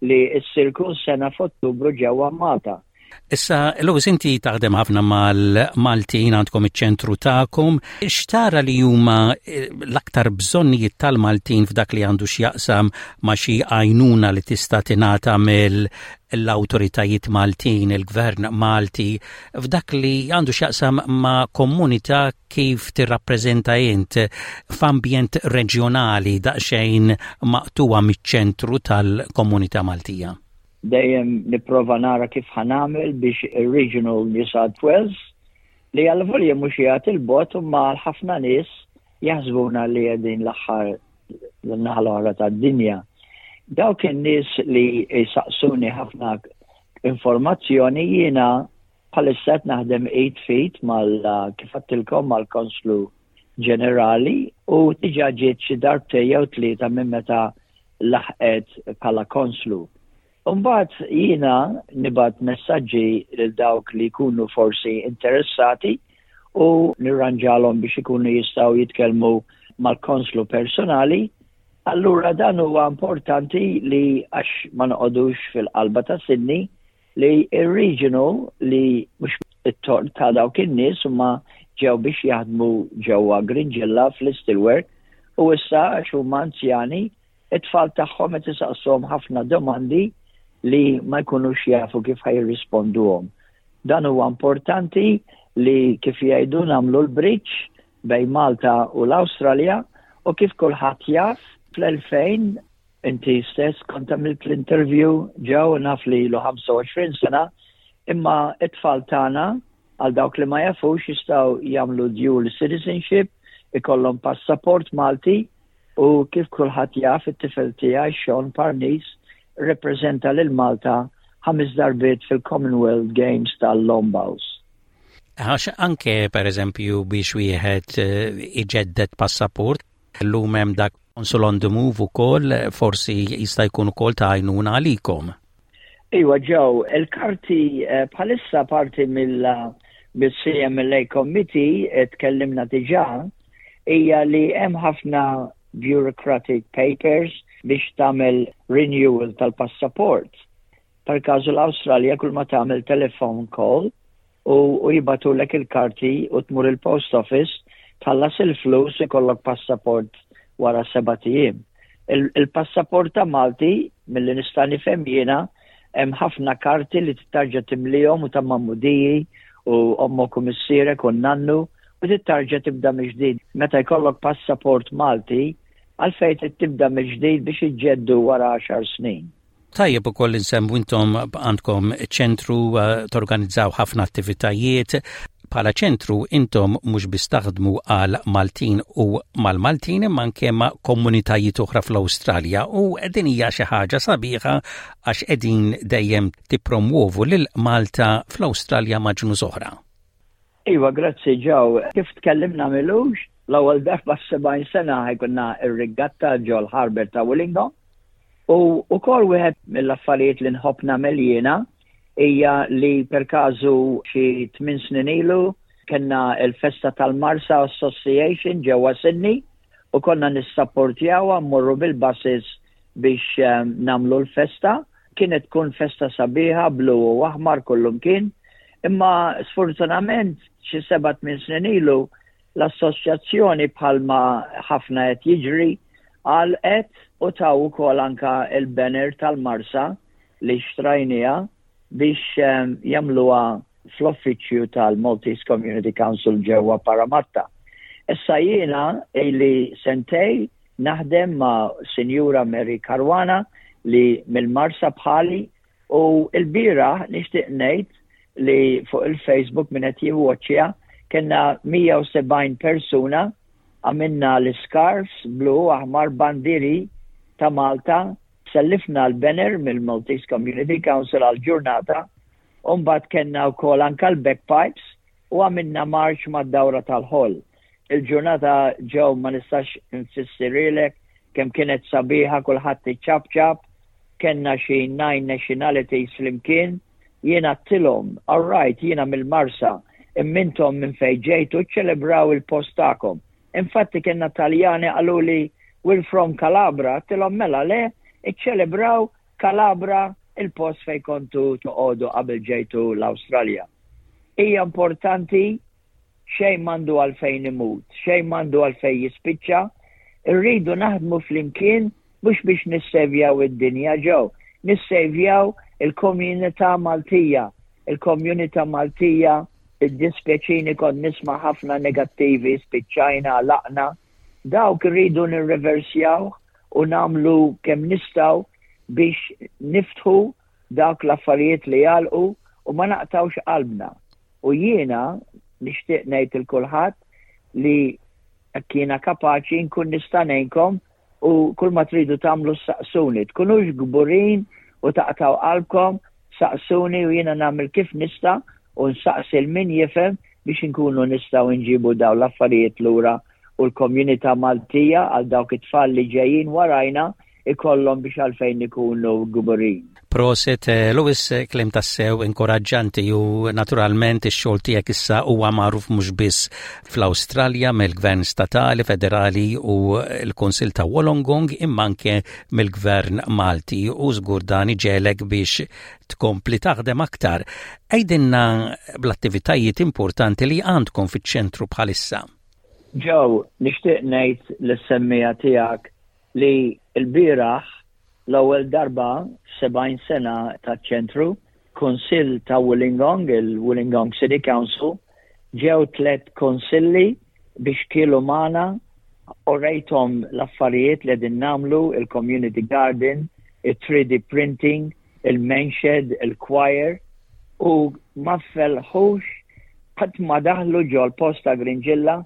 li ssir kull sena f'Ottubru ġewwa Malta. Issa, Louis, inti taħdem ħafna mal-Maltin għandkom iċ-ċentru tagħkom. X'tara li huma eh, l-aktar bżonnijiet tal-Maltin f'dak li għandu x'jaqsam ma' xi għajnuna li tista' tingħata mill-awtoritajiet Maltin, il-Gvern Malti, f'dak li għandu x'jaqsam ma' komunità kif tirrappreżenta int f'ambjent reġjonali daqsxejn maqtuwa miċ-ċentru tal-komunità Maltija? Dejjem nipprova nara kif ħa nagħmel biex ir-Regional New South Wales li għal-volja mhux jagħti l-bot imma ħafna nies jaħsbuna li qegħdin l-aħħar l-naħa l-oħra tad-dinja. Dawk in-nies li jsaqsuni ħafna informazzjoni jiena bħalissa qed naħdem 8 feet mal kif għedtilkom mal-Konslu Ġenerali u diġà ġiet xi darbtejn jew tlieta minn meta laħqet bħala konslu. Mbagħad jiena nibgħat messaġġi lil dawk li jkunu forsi interessati u nirranġalhom biex ikunu jistgħu jitkellmu mal-konslu personali. Allura dan huwa importanti li għax ma noqogħdux fil-qalba ta' Sydney li ir-regional li mhux it-tort ta' dawk in-nies huma ġew biex jaħdmu ġewwa Gringilla fl-Steelwork u issa għax huma anzjani it-tfal tagħhom qed isaqsuhom ħafna domandi. li ma jkunux jafu kif ħa jirrisponduhom. Dan huwa importanti li kif jgħidu nagħmlu l-bridge bejn Malta u l-Awstralja u kif kulħadd jaf fl-2000 inti stess kont għamilt l-interview ġew naf li ilu 25 sena imma it-tfal tagħna għal dawk li ma jafux jistgħu jagħmlu dual citizenship, ikollhom passaport Malti u kif kulħadd jaf it-tifel tiegħi Sean Parnis rrepreżenta lil Malta ħames darbiet fil-Commonwealth Games tal-Lombaus. Għax anke per eżempju biex wieħed eh, iġedded passaport, llum hemm dak Consul on the Move ukoll forsi jista' jkun ukoll ta' għajnuna għalikom. Iwa ġew, il-karti eh, bħalissa parti mill-CMLA Committee eh, tkellimna diġà hija li hemm ħafna bureaucratic papers biex tagħmel renewal tal-passaport. Per każu l-Awstralja kull ma tagħmel telephone call u, u jibatulek il-karti u tmur il-post office tħallas il-flus ikollok passaport wara seba' ijiem. Il-passaport ta' Malti, milli nista' nifhem jiena, hemm ħafna karti li tittarġa' timlihom u ta' magħmudiji u ommok u missierek u nannu u tittarġa' tibda mill-ġdid. Meta jkollok passaport Malti, għalfejn trid tibda mill-ġdid biex iġġeddu wara għaxar snin. Tajjeb ukoll insemmu intom għandkom ċentru eh, torganizzaw ħafna attivitajiet. Bħala ċentru intom mhux biss taħdmu għal Maltin u mal-Maltin imma anke ma' komunitajiet oħra fl-Awstralja u din hija xi ħaġa sabiħa għax qegħdin dejjem tippromwovu lil Malta fl-Awstralja ma' ġnus oħra. Iva, grazzi Joe. Kif tkellimna m'ilux, l-ewwel darba f'70 sena ħajkunna r-riggatta ġol Harbour ta' Wollongong. U wkoll wieħed mill-affarijiet li nħobb nagħmel jiena hija li per każu xi tmien snin ilu kellna l-festa tal-Marsa Association ġewwa Sydney u konna nissapportjawha mmorru bil-buses biex ehm, nagħmlu l-festa. Kienet tkun festa sabiħa blu u aħmar kullumkien, imma sfortunament xi seba' tmien snin ilu l-assoċjazzjoni bħalma ħafna qed jiġri għalqet u taw ukoll anka il-banner tal-Marsa li xtrajnija biex ehm, jagħmluha fl-uffiċċju tal-Maltese Community Council ġewwa Parramatta. Issa jiena ili sentej naħdem ma' Sinjura Mary Caruana li mill-Marsa bħali u l-bieraħ nixtieq ngħid li fuq il-Facebook min qed jivwoċċja kellna 170 persuna għamilna l-scarfs blu aħmar bandiri ta' Malta sellifna l-banner mill-Maltese Community Council għal-ġurnata u mbagħad kellna wkoll anka l-bagpipes u għamilna marċ mad-dawra tal-ħoll. Il-ġurnata ġew ma nistax nfissirhielek kemm kienet sabiħa kulħadd iċapċap, kellna xi nine nationalities flimkien, jien għedtilhom, all right jiena mill-Marsa, imma intom minn fejn ġejtu ċċelebraw il-post tagħkom. Infatti kellna Taljani qaluli we're from Calabra, għedtilhom mela le, iċċelebraw Calabra il-post fejn kontu toqogħdu qabel ġejtu l-Awstralja. Hija importanti xejn m'għandu għalfejn imut, xejn m'għandu għalfejn jispiċċa, irridu naħdmu flimkien mhux biex nissevjaw id-dinja ġew, nissevjaw il-komunità Maltija. Il-komunità Maltija iddispjaċini kont nisma' ħafna negattivi, spiċċajna, għalaqna. Dawk irridu nirreversjaw u nagħmlu kemm nistgħu biex niftħu dawk l-affarijiet li għalqu u ma naqtawx qalbna. U jiena nixtieq ngħid il kulħadd li jekk jiena kapaċi nkun nista' ngħinkom u kull ma tridu tagħmlu saqsuni. Tkunux kburin u taqtaw qalbkom, saqsuni u jiena nagħmel kif nista' u nsaqsi l min jifhem biex inkunu nistgħu nġibu dawn l-affarijiet lura u l-komunità Maltija għal dawk it-tfal li ġejjin warajna ikollhom biex għalfejn ikunu kburin. Proset, eh, Lewis, eh, kliem tassew inkoraġġanti u naturalment ix-xogħol tiegħek issa huwa magħruf mhux biss fl-Awstralja mill-Gvern Statali, Federali u l-Kunsill ta' Wollongong imma anke mill-Gvern Malti u żgur dan iġegħlek biex tkompli taħdem aktar. Għidilna bl-attivitajiet importanti li għandkom fiċ-ċentru bħalissa. Joe, nixtieq ngħid lis-semmiegħa tiegħek li lbieraħ. L-ewwel darba f'70 sena taċ-ċentru, Kunsill ta' Wollongong, il-Wollongong City Council, ġew tlett kunsilli biex kielu magħna, urejthom l-affarijiet li qegħdin nagħmlu, il-community garden, it-3D printing, il-menshed, il-choir, u ma felħux qatt ma daħlu ġol-post ta' Grinġilla,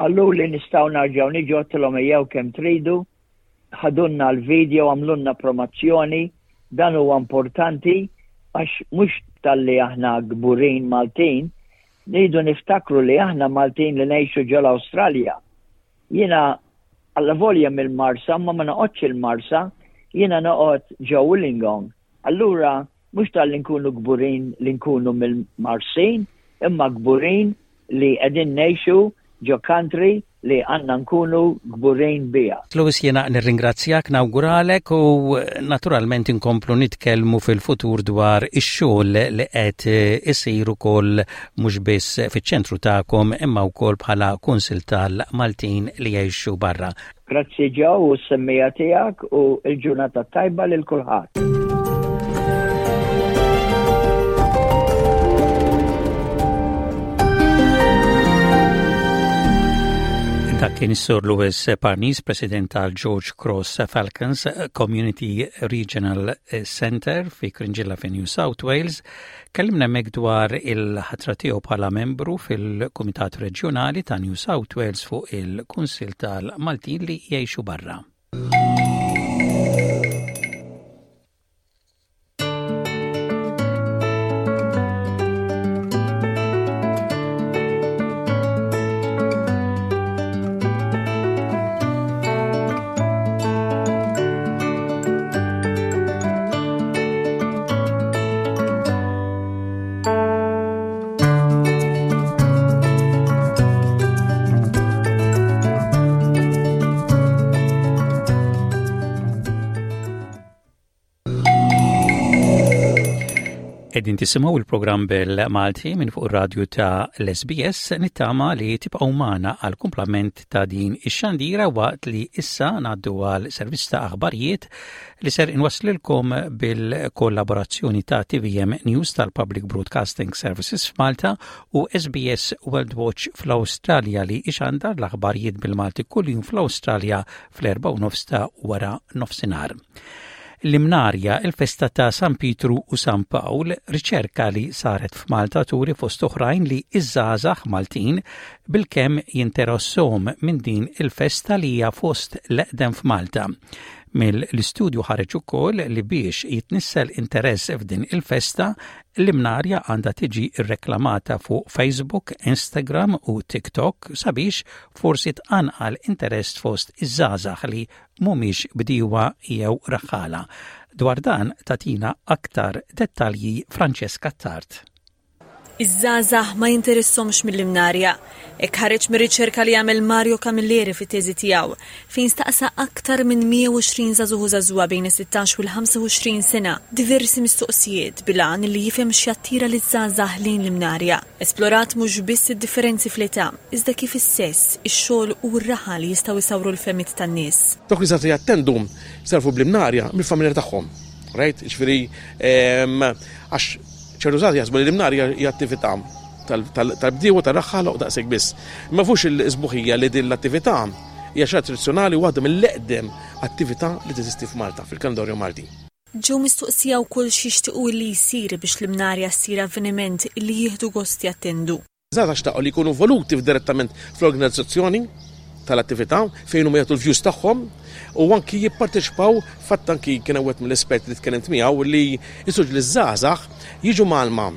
qaluli nistgħu narġgħu niġu għedtilhom ejjew kemm tridu, ħadulna l-video, għamlulna promozzjoni, dan huwa importanti għax mhux talli aħna kburin Maltin, rridu niftakru li aħna Maltin li ngħixu ġol-Awstralja. Jiena allavolja mill-Marsa ma ma noqgħodx il-Marsa, jiena noqgħod ġo Wollongong. Allura mhux talli nkunu kburin li nkunu mill-Marsin, imma kburin li qegħdin ngħixu ġo country li għandna nkunu kburin biha. Louis jiena nirringrazzjak, nawguralek u naturalment inkomplu nitkellmu fil-futur dwar ix-xogħol li qed isir ukoll mhux biss fiċ-ċentru tagħkom imma wkoll bħala Kunsill tal-Maltin li jgħixu barra. Grazzi Joe u s-semmija tiegħek u l-ġurnata tajba lil kulħadd. Dak kien is-Sur Louis Parnis, President tal-George Cross Falcons Community Regional Center fi Cringilla fi New South Wales. Kellimna hemmhekk dwar il-ħatra tiegħu bħala membru fil-Kumitat Reġjonali ta' New South Wales fuq il-Kunsill tal-Maltin li jgħixu barra. Qegħdin tisimgħu il-programm bil-Malti minn fuq ir-radju ta' l-SBS nittama li tibqgħu magħna għal kumplament ta' din ix-xandira waqt li issa ngħaddu għal servizz ta' aħbarijiet li ser inwasslilkom bil-kollaborazzjoni ta' TVM News tal-Public Broadcasting Services f'Malta u SBS World Watch fl-Awstralja li ixandar l-aħbarijiet bil-Malti kuljum fl-Awstralja fl-erba' u nofs ta' wara nofsinhar. L-Imnarja, il-festa ta' San Pietru u San Pawl, riċerka li saret f'Malta turi fost oħrajn li iż-żgħażagħ Maltin bilkemm jinteressahom minn din il-festa li hija fost l-eqdem f'Malta. Mill-istudju ħareġ ukoll li biex jitnissel interess f'din il-festa, l-Imnarja għandha tiġi rreklamata fuq Facebook, Instagram u TikTok sabiex forsi tqanqal interess fost iż-żgħażagħ li mhumiex bdiewa jew raħħala. Dwar dan tagħtina aktar dettalji Francesca Attard. Iż-żgħażagħ ma jinteressahomx mill-Imnarja. Hekk ħareġ mir-riċerka li għamel Mario Camilleri fit-teżi tiegħu, fejn staqsa aktar minn 120 żagħżugħ u żagħżugħa bejn is-sittax u l-25 sena diversi mistoqsijiet bil-għan li jifhem x'jattira liż-żgħażagħ lejn l-Imnarja. Esplorat mhux biss id-differenzi fl-età, iżda kif is-sess, ix-xogħol u r-raħal jistgħu jsawru l-fehmiet tan-nies. Dawk li żgħażagħ jattendu sarfu bl-Imnarja mill-familja tagħhom. Right? Jiġifieri għax Ċertu żgħażagħ jaħsbu li l-imnar hija attività tal-bdiewa tar-raħħala u daqshekk biss. Ma jafux il-sbuħija li din l-attività hija xi tradizzjonali u waħda mill-eqdem attività li teżisti f'Malta, fil-kalendarju Malti. Ġew mistoqsija wkoll x'jixtiequ illi jsir biex l-Imnarja ssir avveniment illi jieħdu gost jattendu. Żgħażagħ xtaqu li jkunu involuti direttament fl-organizzazzjoni tal-attività fejn huma jagħtu l-views tagħhom u anki jipparteċipaw fatt anki kien hemm wieħed mill-esperti li tkellimt miegħu li jisuġ li żgħażagħ jiġu mgħallma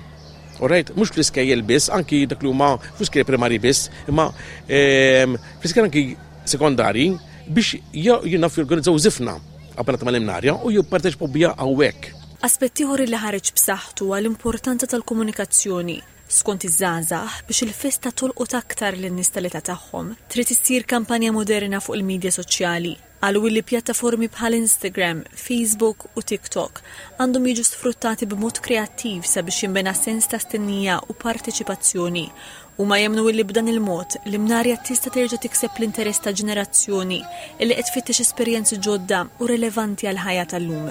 Alright, mhux fl-iskejjel biss, anki dak li huma fl-iskejjel primarji biss, imma ehm, fl-iskejjel anki sekondarji biex jinaf jorganizzaw żifna abbinata mal-imnarja u jipparteċipaw biha hawnhekk. Aspett ieħor li ħareġ b'saħħtu huwa l-importanza tal-komunikazzjoni. Skont iż-żgħażagħ, biex il-festa tolqot aktar lin-nies tal-età tagħhom, trid issir kampanja moderna fuq il-midja soċjali. Qalu illi pjattaformi bħal Instagram, Facebook u TikTok għandhom jiġu sfruttati b'mod kreattiv sabiex jinbena sens ta' stennija u parteċipazzjoni. Huma jemmnu illi b'dan il-mod, l-Imnarja tista' terġa' tikseb l-interess ta' ġenerazzjoni illi qed tfittex esperjenzi ġodda u relevanti għall-ħajja tal-lum.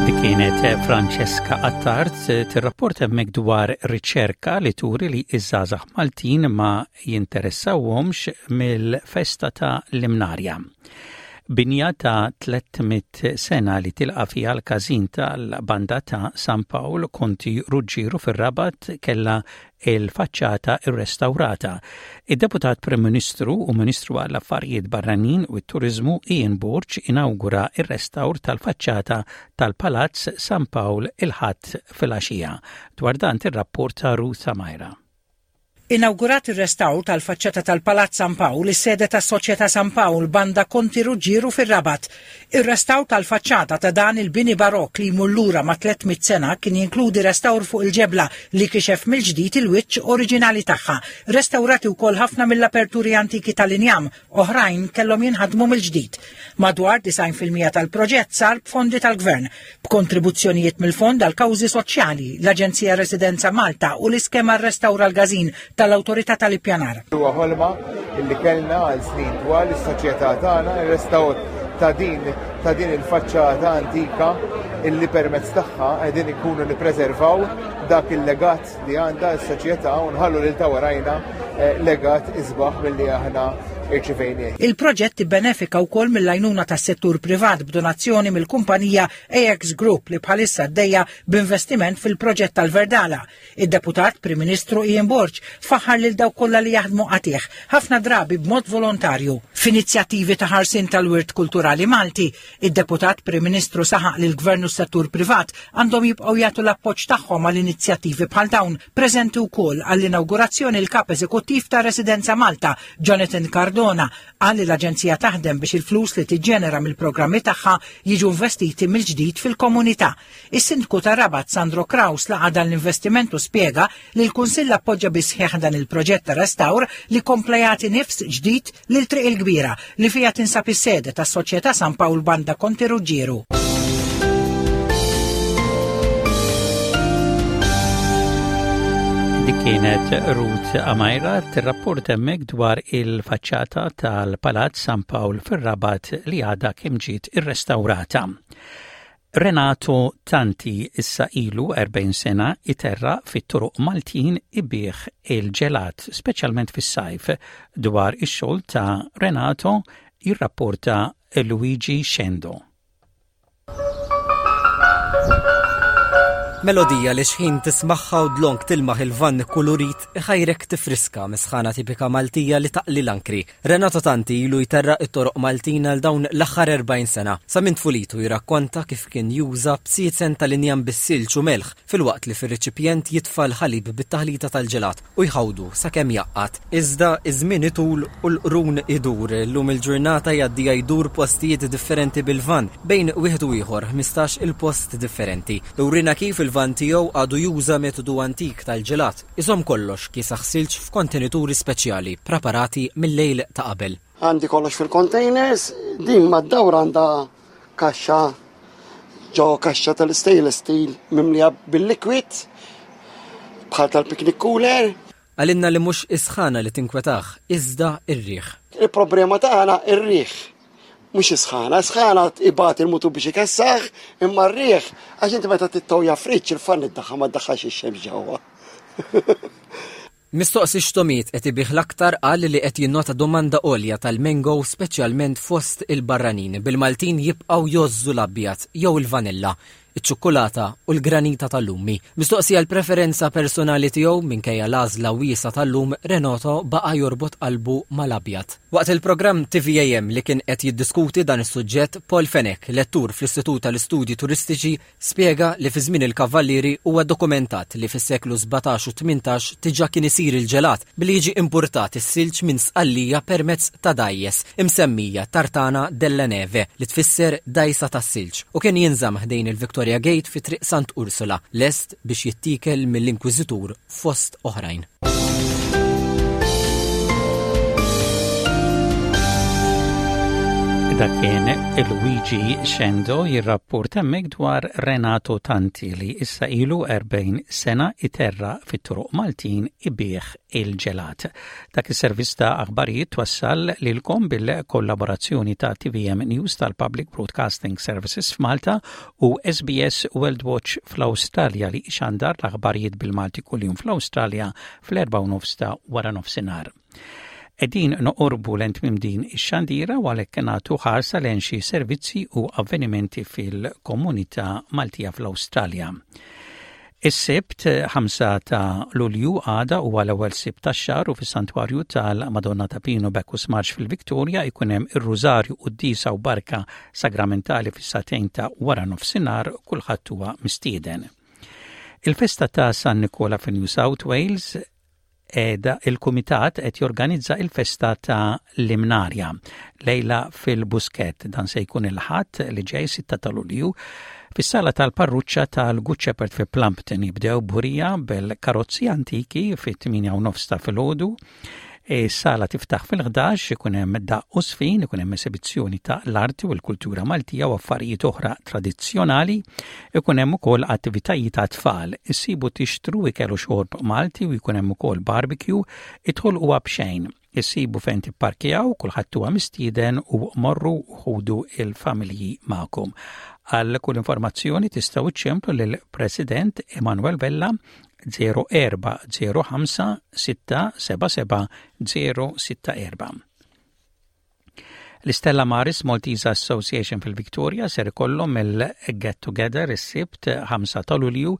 Dik kienet Francesca Attard tirrapporta hemmhekk dwar riċerka li turi li iż-żgħażagħ Maltin ma jinteressawhomx mill-festa ta' l-Imnarja. Binja ta' 300 sena li tilqa' fiha l-każin tal-Banda ta' San Pawl Konti Ruġġieru fir-Rabat kellha il-faċċata rrestawrata. Id-Deputat Prim Ministru u Ministru għall-Affarijiet Barranin u t-Turiżmu Ian Borg inawgura r-restawr tal-faċċata tal-Palazz San Pawl il-Ħadd filgħaxija. Dwar dan tirrapporta Ruth Amajra. Inawgurat ir-restawr tal-faċċata tal-Palazz San Pawl, is-sede tas-Soċjetà San Pawl, Banda Konti Ruġġieru fir-Rabat. Ir-restawr tal-faċċata ta' dan il-bini barokk li jmur lura ma' 300 sena kien jinkludi restawr fuq il-ġebla li kixef mill-ġdid il-wiċċ oriġinali tagħha. Restawrati wkoll ħafna mill-aperturi antiki tal-injam, oħrajn kellhom jinħadmu mill-ġdid. Madwar 90% tal-proġett sar b'fondi tal-Gvern, b'kontribuzzjonijiet mill-Fond għal Kawżi Soċjali, l-Aġenzija Residenza Malta u l-iskema Restawra l-Każin tal-Awtorità tal-Ippjanar. Huwa ħolma li kellna għal snin twal is-soċjetà tagħna ir-restawr ta' din ta' din il-faċċata antika illi permezz tagħha qegħdin inkunu nippreservaw dak il-legat li għandha s-soċjetà u nħallu lil ta' warajna eh, legat isbaħ milli aħna irċivejnieh. Il-proġett ibbenefika wkoll mill-għajnuna tas-settur privat b'donazzjoni mill-kumpanija AX Group li bħalissa għaddejja b'investiment fil-proġett tal-Verdala. Id-Deputat Prim Ministru Ian Borg faħħar lil dawk kollha li jaħdmu qatigħ, ħafna drabi b'mod volontarju. F'inizjattivi ta' ħarsien tal-wirt kulturali Malti, id-Deputat Prim Ministru saħaq li l-Gvern u s-settur privat għandhom jibqgħu jagħtu l-appoġġ tagħhom għal inizjattivi bħal dawn. Preżenti wkoll għall-inawgurazzjoni l-Kap Eżekuttiv ta' Residenza Malta, Jonathan Cardona, qal li l-aġenzija taħdem biex il-flus li tiġġenera mill-programmi tagħha jiġu investiti mill-ġdid fil-komunità. Is-Sindku ta' Rabat Sandro Craus laqa' dan l-investiment u spjega li l-Kunsill appoġġa bis-sħiħ dan il-proġett ta' restawr li kompla jagħti nifs ġdid lil Triq il-Kbira li fiha tinsab is-sede tas-Soċjetà San Pawl Banda Konti Ruġġieru. Dik kienet Ruth Amajra tirrapport hemmhekk dwar il-faċċata tal-Palazz San Pawl fir-Rabat li għadha kemm ġiet irrestawrata. Renato Tanti issa ilu 40 sena iterraq fit-toroq Maltin ibigħ il-ġelat, speċjalment fis-sajf. Dwar ix-xogħol ta' Renato jirrapporta Luigi Scendo. Melodija li xħin tismagħha u dlonk tilmaħ il-vann ikkulurit iħajrek tifriska mis-sħana tipika Maltija li taqli l-ankri. Renato Tanti ilu jterraq it-toroq Maltin għal dawn l-aħħar 40 sena. Sa minn tfulitu jirrakkonta kif kien juża bsiezen tal-injam bis-silġ u melħ filwaqt li fir-reċipjent jitfa' l-ħalib bit-taħlita tal-ġelat u jħawdu sakemm jgħaqqad. Iżda ż-żmien itul u l-qrun idur. Illum il-ġurnata jgħaddiha jdur postijiet differenti bil-vann, bejn wieħed u ieħor 15 il-post differenti. Iwrina kif il-vann tiegħu għadu juża metodu antik tal-ġelat. Iżomm kollox kiesaħ silġ f'kontenituri speċjali ppraparati mil-lejl ta' qabel. Għandi kollox fil-containers, din mad-dawra għandha kaxxa ġo kaxxa tal-stainless steel mimlija bil-liquid bħal tal-picnic cooler. Qalilna li mhux is-sħana li tinkwetah iżda r-riħ. Il-problema tagħna r-riħ. Mhux is-sħana, is-sħana ibati l-mutur biex ikessaħ, imma r-riħ, għax inti meta tittowja friġġ il-fann iddaħħal ma ddaħħalx ix-xemx ġewwa. Mistoqsi x'tomiet qed ibigħ l-aktar qal li qed jinnota domanda għolja tal-mango speċjalment fost il-barranin, bil-Maltin jibqgħu jgħożżu l-abjad jew il-vanilla. iċ-ċukkulata u l-granita tal-lumi. Mistoqsi għall-preferenza personali tiegħu, minkejja l-għażla wiesgħa tal-lum, Renato baqa' jorbot qalbu mal-abjad. Waqt il-programm TVAM li kien qed jiddiskuti dan is-suġġett, Paul Fenech, lettur fl-Istitut tal-Istudji Turistiċi, spjega li fi żmien il-Kavallieri huwa dokumentat li fis-seklu 17 u 18 diġà kien isir il-ġelat billi jiġi impurtat is-silġ minn Sqallija permezz ta' dgħajjes imsemmija Tartana della Neve li tfisser dgħajsa tas-silġ u kien jinżamm ħdejn il-Victoria Gate fi Triq Sant Ursula lest biex jittiekel mill-Inkwiżitur fost oħrajn. Dak kien Luigi Xendo jirrapport hemmhekk dwar Renato Tanti li issa ilu 40 sena iterra fit-toroq Maltin ibih il-ġelat. Dak is-servizz ta' aħbarijiet twassal lilkom bil-kollaborazzjoni ta' TVM News tal-Public Broadcasting Services f'Malta u SBS World Watch fl-Awstralja li ixandar l-aħbarijiet bil-Malti kuljum fl-Awstralja fl-4 nofs ta' wara nofsinhar. Qegħdin noqorbu lejn tmiem din ix-xandira u għalhekk nagħtu ħarsa lejn xi servizzi u avvenimenti fil-komunità Maltija fl-Awstralja. Is-Sibt 5 ta' Lulju għada huwa l-ewwel Sibt tax-xahar u fis-Santwarju tal-Madonna ta' Pino Bacchus Marsh fil-Victoria jkun hemm ir-Rużarju quddiesa u barka sagramentali fis-sagħtejn ta' wara nofsinhar kulħadd huwa mistieden. Il-festa ta' San Nikola fi New South Wales qiegħda il-kumitat qed jorganizza il-festa ta' l-Imnarja lejla fil-Buskett. Dan se jkun il-Ħadd li ġej 6 ta' Lulju fis-sala tal-parruċċa tal-Good Shepherd fi Plumpton jibdew burija bil-karozzi antiki fit-8 u nofs ta' filgħodu. Is-sala tiftaħ fil-11 ikun hemm daqq u sfin, ikun hemm esibizzjoni ta' l-arti u l-kultura Maltija u affarijiet oħra tradizzjonali, ikun hemm ukoll attivitajiet għat-tfal. Issibu tixtru ikel u xorb Malti u jkun hemm ukoll barbecue, id-dħul huwa b'xejn. Issibu fejn tipparkjaw, kulħadd huwa mistieden u morru u ħudu il-familji magħkom. Għal kull informazzjoni tistgħu iċċemplu lill-President Emanuel Vella 0405 677 064. L-Istella Maris Maltese Association fil-Victoria ser ikollhom il-Get Together is-Sibt 5 ta' Lulju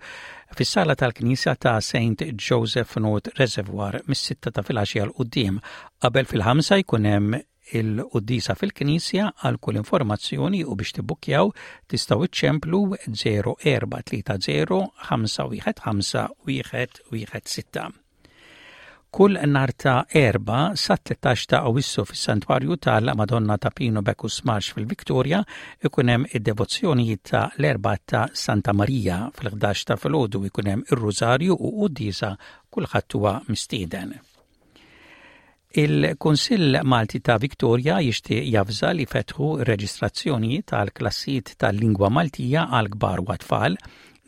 fis-sala tal-Knisja ta' St. Joseph North Reservoir mis-sitta ta' filgħaxija 'l quddiem. Qabel fil-ħamsa jkun hemm il-quddiesa fil-Knisja għal kull informazzjoni u biex tibbukkjaw tistgħu iċċemplu 0430 515 116. Kull nhar ta' Erbgħa sat-13 ta' Awwissu fis-Santwarju tal-Madonna ta' Pino Bacchus Marsh fil-Victoria ikun hemm id-devozzjonijiet ta' l-Erbgħa ta' Santa Marija. Fil-11 ta' filgħodu jkun hemm ir-Rużarju u quddiesa kulħadd huwa mistieden. Il-Kunsill Malti ta' Victoria jixtieq javża li fetħu r-reġistrazzjonijiet għal klassijiet tal-lingwa Maltija għal kbar u għat-tfal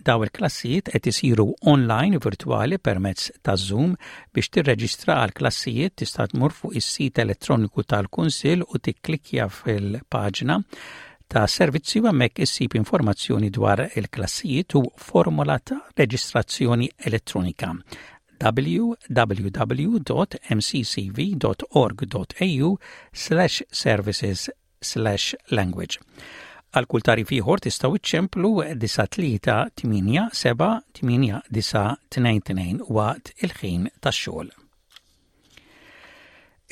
Daw il-klassijiet qed isiru online virtwali permezz ta' Zoom. Biex tirreġistra għal klassijiet tista' tmur fuq is-sit elettroniku tal-Kunsill u tikklikkja fil-paġna ta' servizzi u hemmhekk issib informazzjoni dwar il-klassijiet u formola ta' reġistrazzjoni elettronika www.mccv.org.au slash services slash language. Għal kull tarif ieħor tistgħu iċċemplu 93878922 waqt il-ħin tax-xogħol.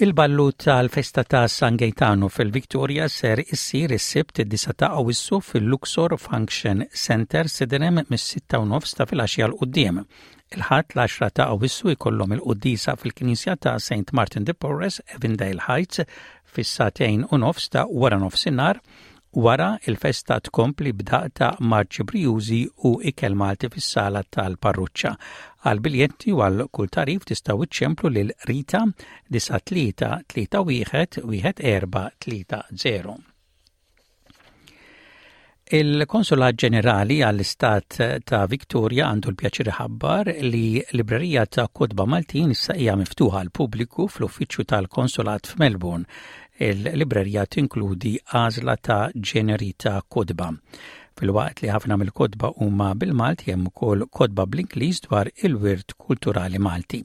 Il-ballu tal-festa ta' San Gaetano fil-Victoria ser issir is-Sibt id-9 ta' Awwissu fil-Luxor Function Center Sydenham mis-6 u nofs ta' filgħaxija 'l quddiem. Il-Ħadd l-10 ta' Awwissu jkollhom il-quddiesa fil-Knisja ta' St Martin de Porres, Avondale Heights, fis-sagħtejn u nofs ta' waranofsinhar, wara il-festa tkompli b'daqq ta' marċi brijużi u ikel Malti fis-sala tal-parruċċa. Għal biljetti u għal kull tagħrif tistgħu iċċemplu lil Rita 93 31 1430. Il-Konsulat Ġenerali għall-Istat ta' Victoria għandu l-pjaċir iħabbar li librerija ta' kotba Maltin issa hija miftuħa għal pubbliku fl-uffiċċju tal-Konsulat f'Melbourne. Il-librerija tinkludi għażla ta' ġeneri ta' kotba. Filwaqt li ħafna mill-kotba huma bil-Malti hemm ukoll kotba bl-Ingliż dwar il-wirt kulturali Malti.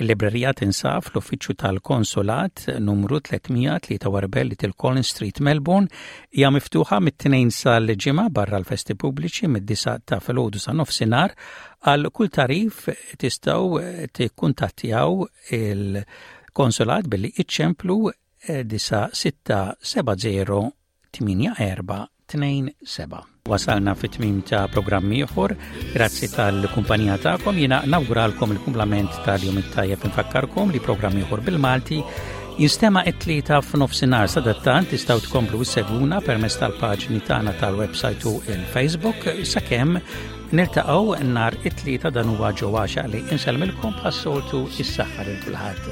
Il-librerija tinsab fl-uffiċċju tal-Konsulat numru 343 Little Collins Street, Melbourne, hija miftuħa mit-Tnejn sal-Ġimgħa barra l-festi pubbliċi mid-disgħa ta' filgħodu sa nofsinhar. Għal kull tagħrif tistgħu tikkuntattjaw il-Konsulat billi iċċemplu 9670 8427. Wasalna fit-tmim ta' programm ieħor. Grazzi tal-kumpanija tagħkom. Jiena nawguralkom il-kumplament tal-jum it-tajjeb infakkarkom li programm ieħor bil-Malti jinstema' it-tlieta f'nofsinhar sadattant tistgħu tkomplu issegwuna permezz tal-paġni tagħna tal-website u il-Facebook sakemm niltaqgħu nhar it-tlieta dan huwa ġewwa li insellmilkom bħas-soltu is-saħħa lil kulħadd.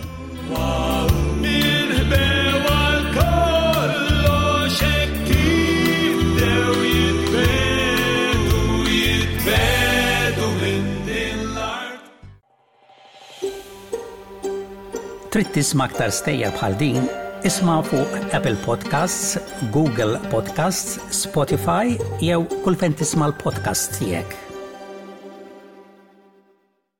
Trid tisma' aktar stejjer bħal din? Isma' fuq Apple Podcasts, Google Podcasts, Spotify jew kull fejn tisma' l-podcasts tiegħek.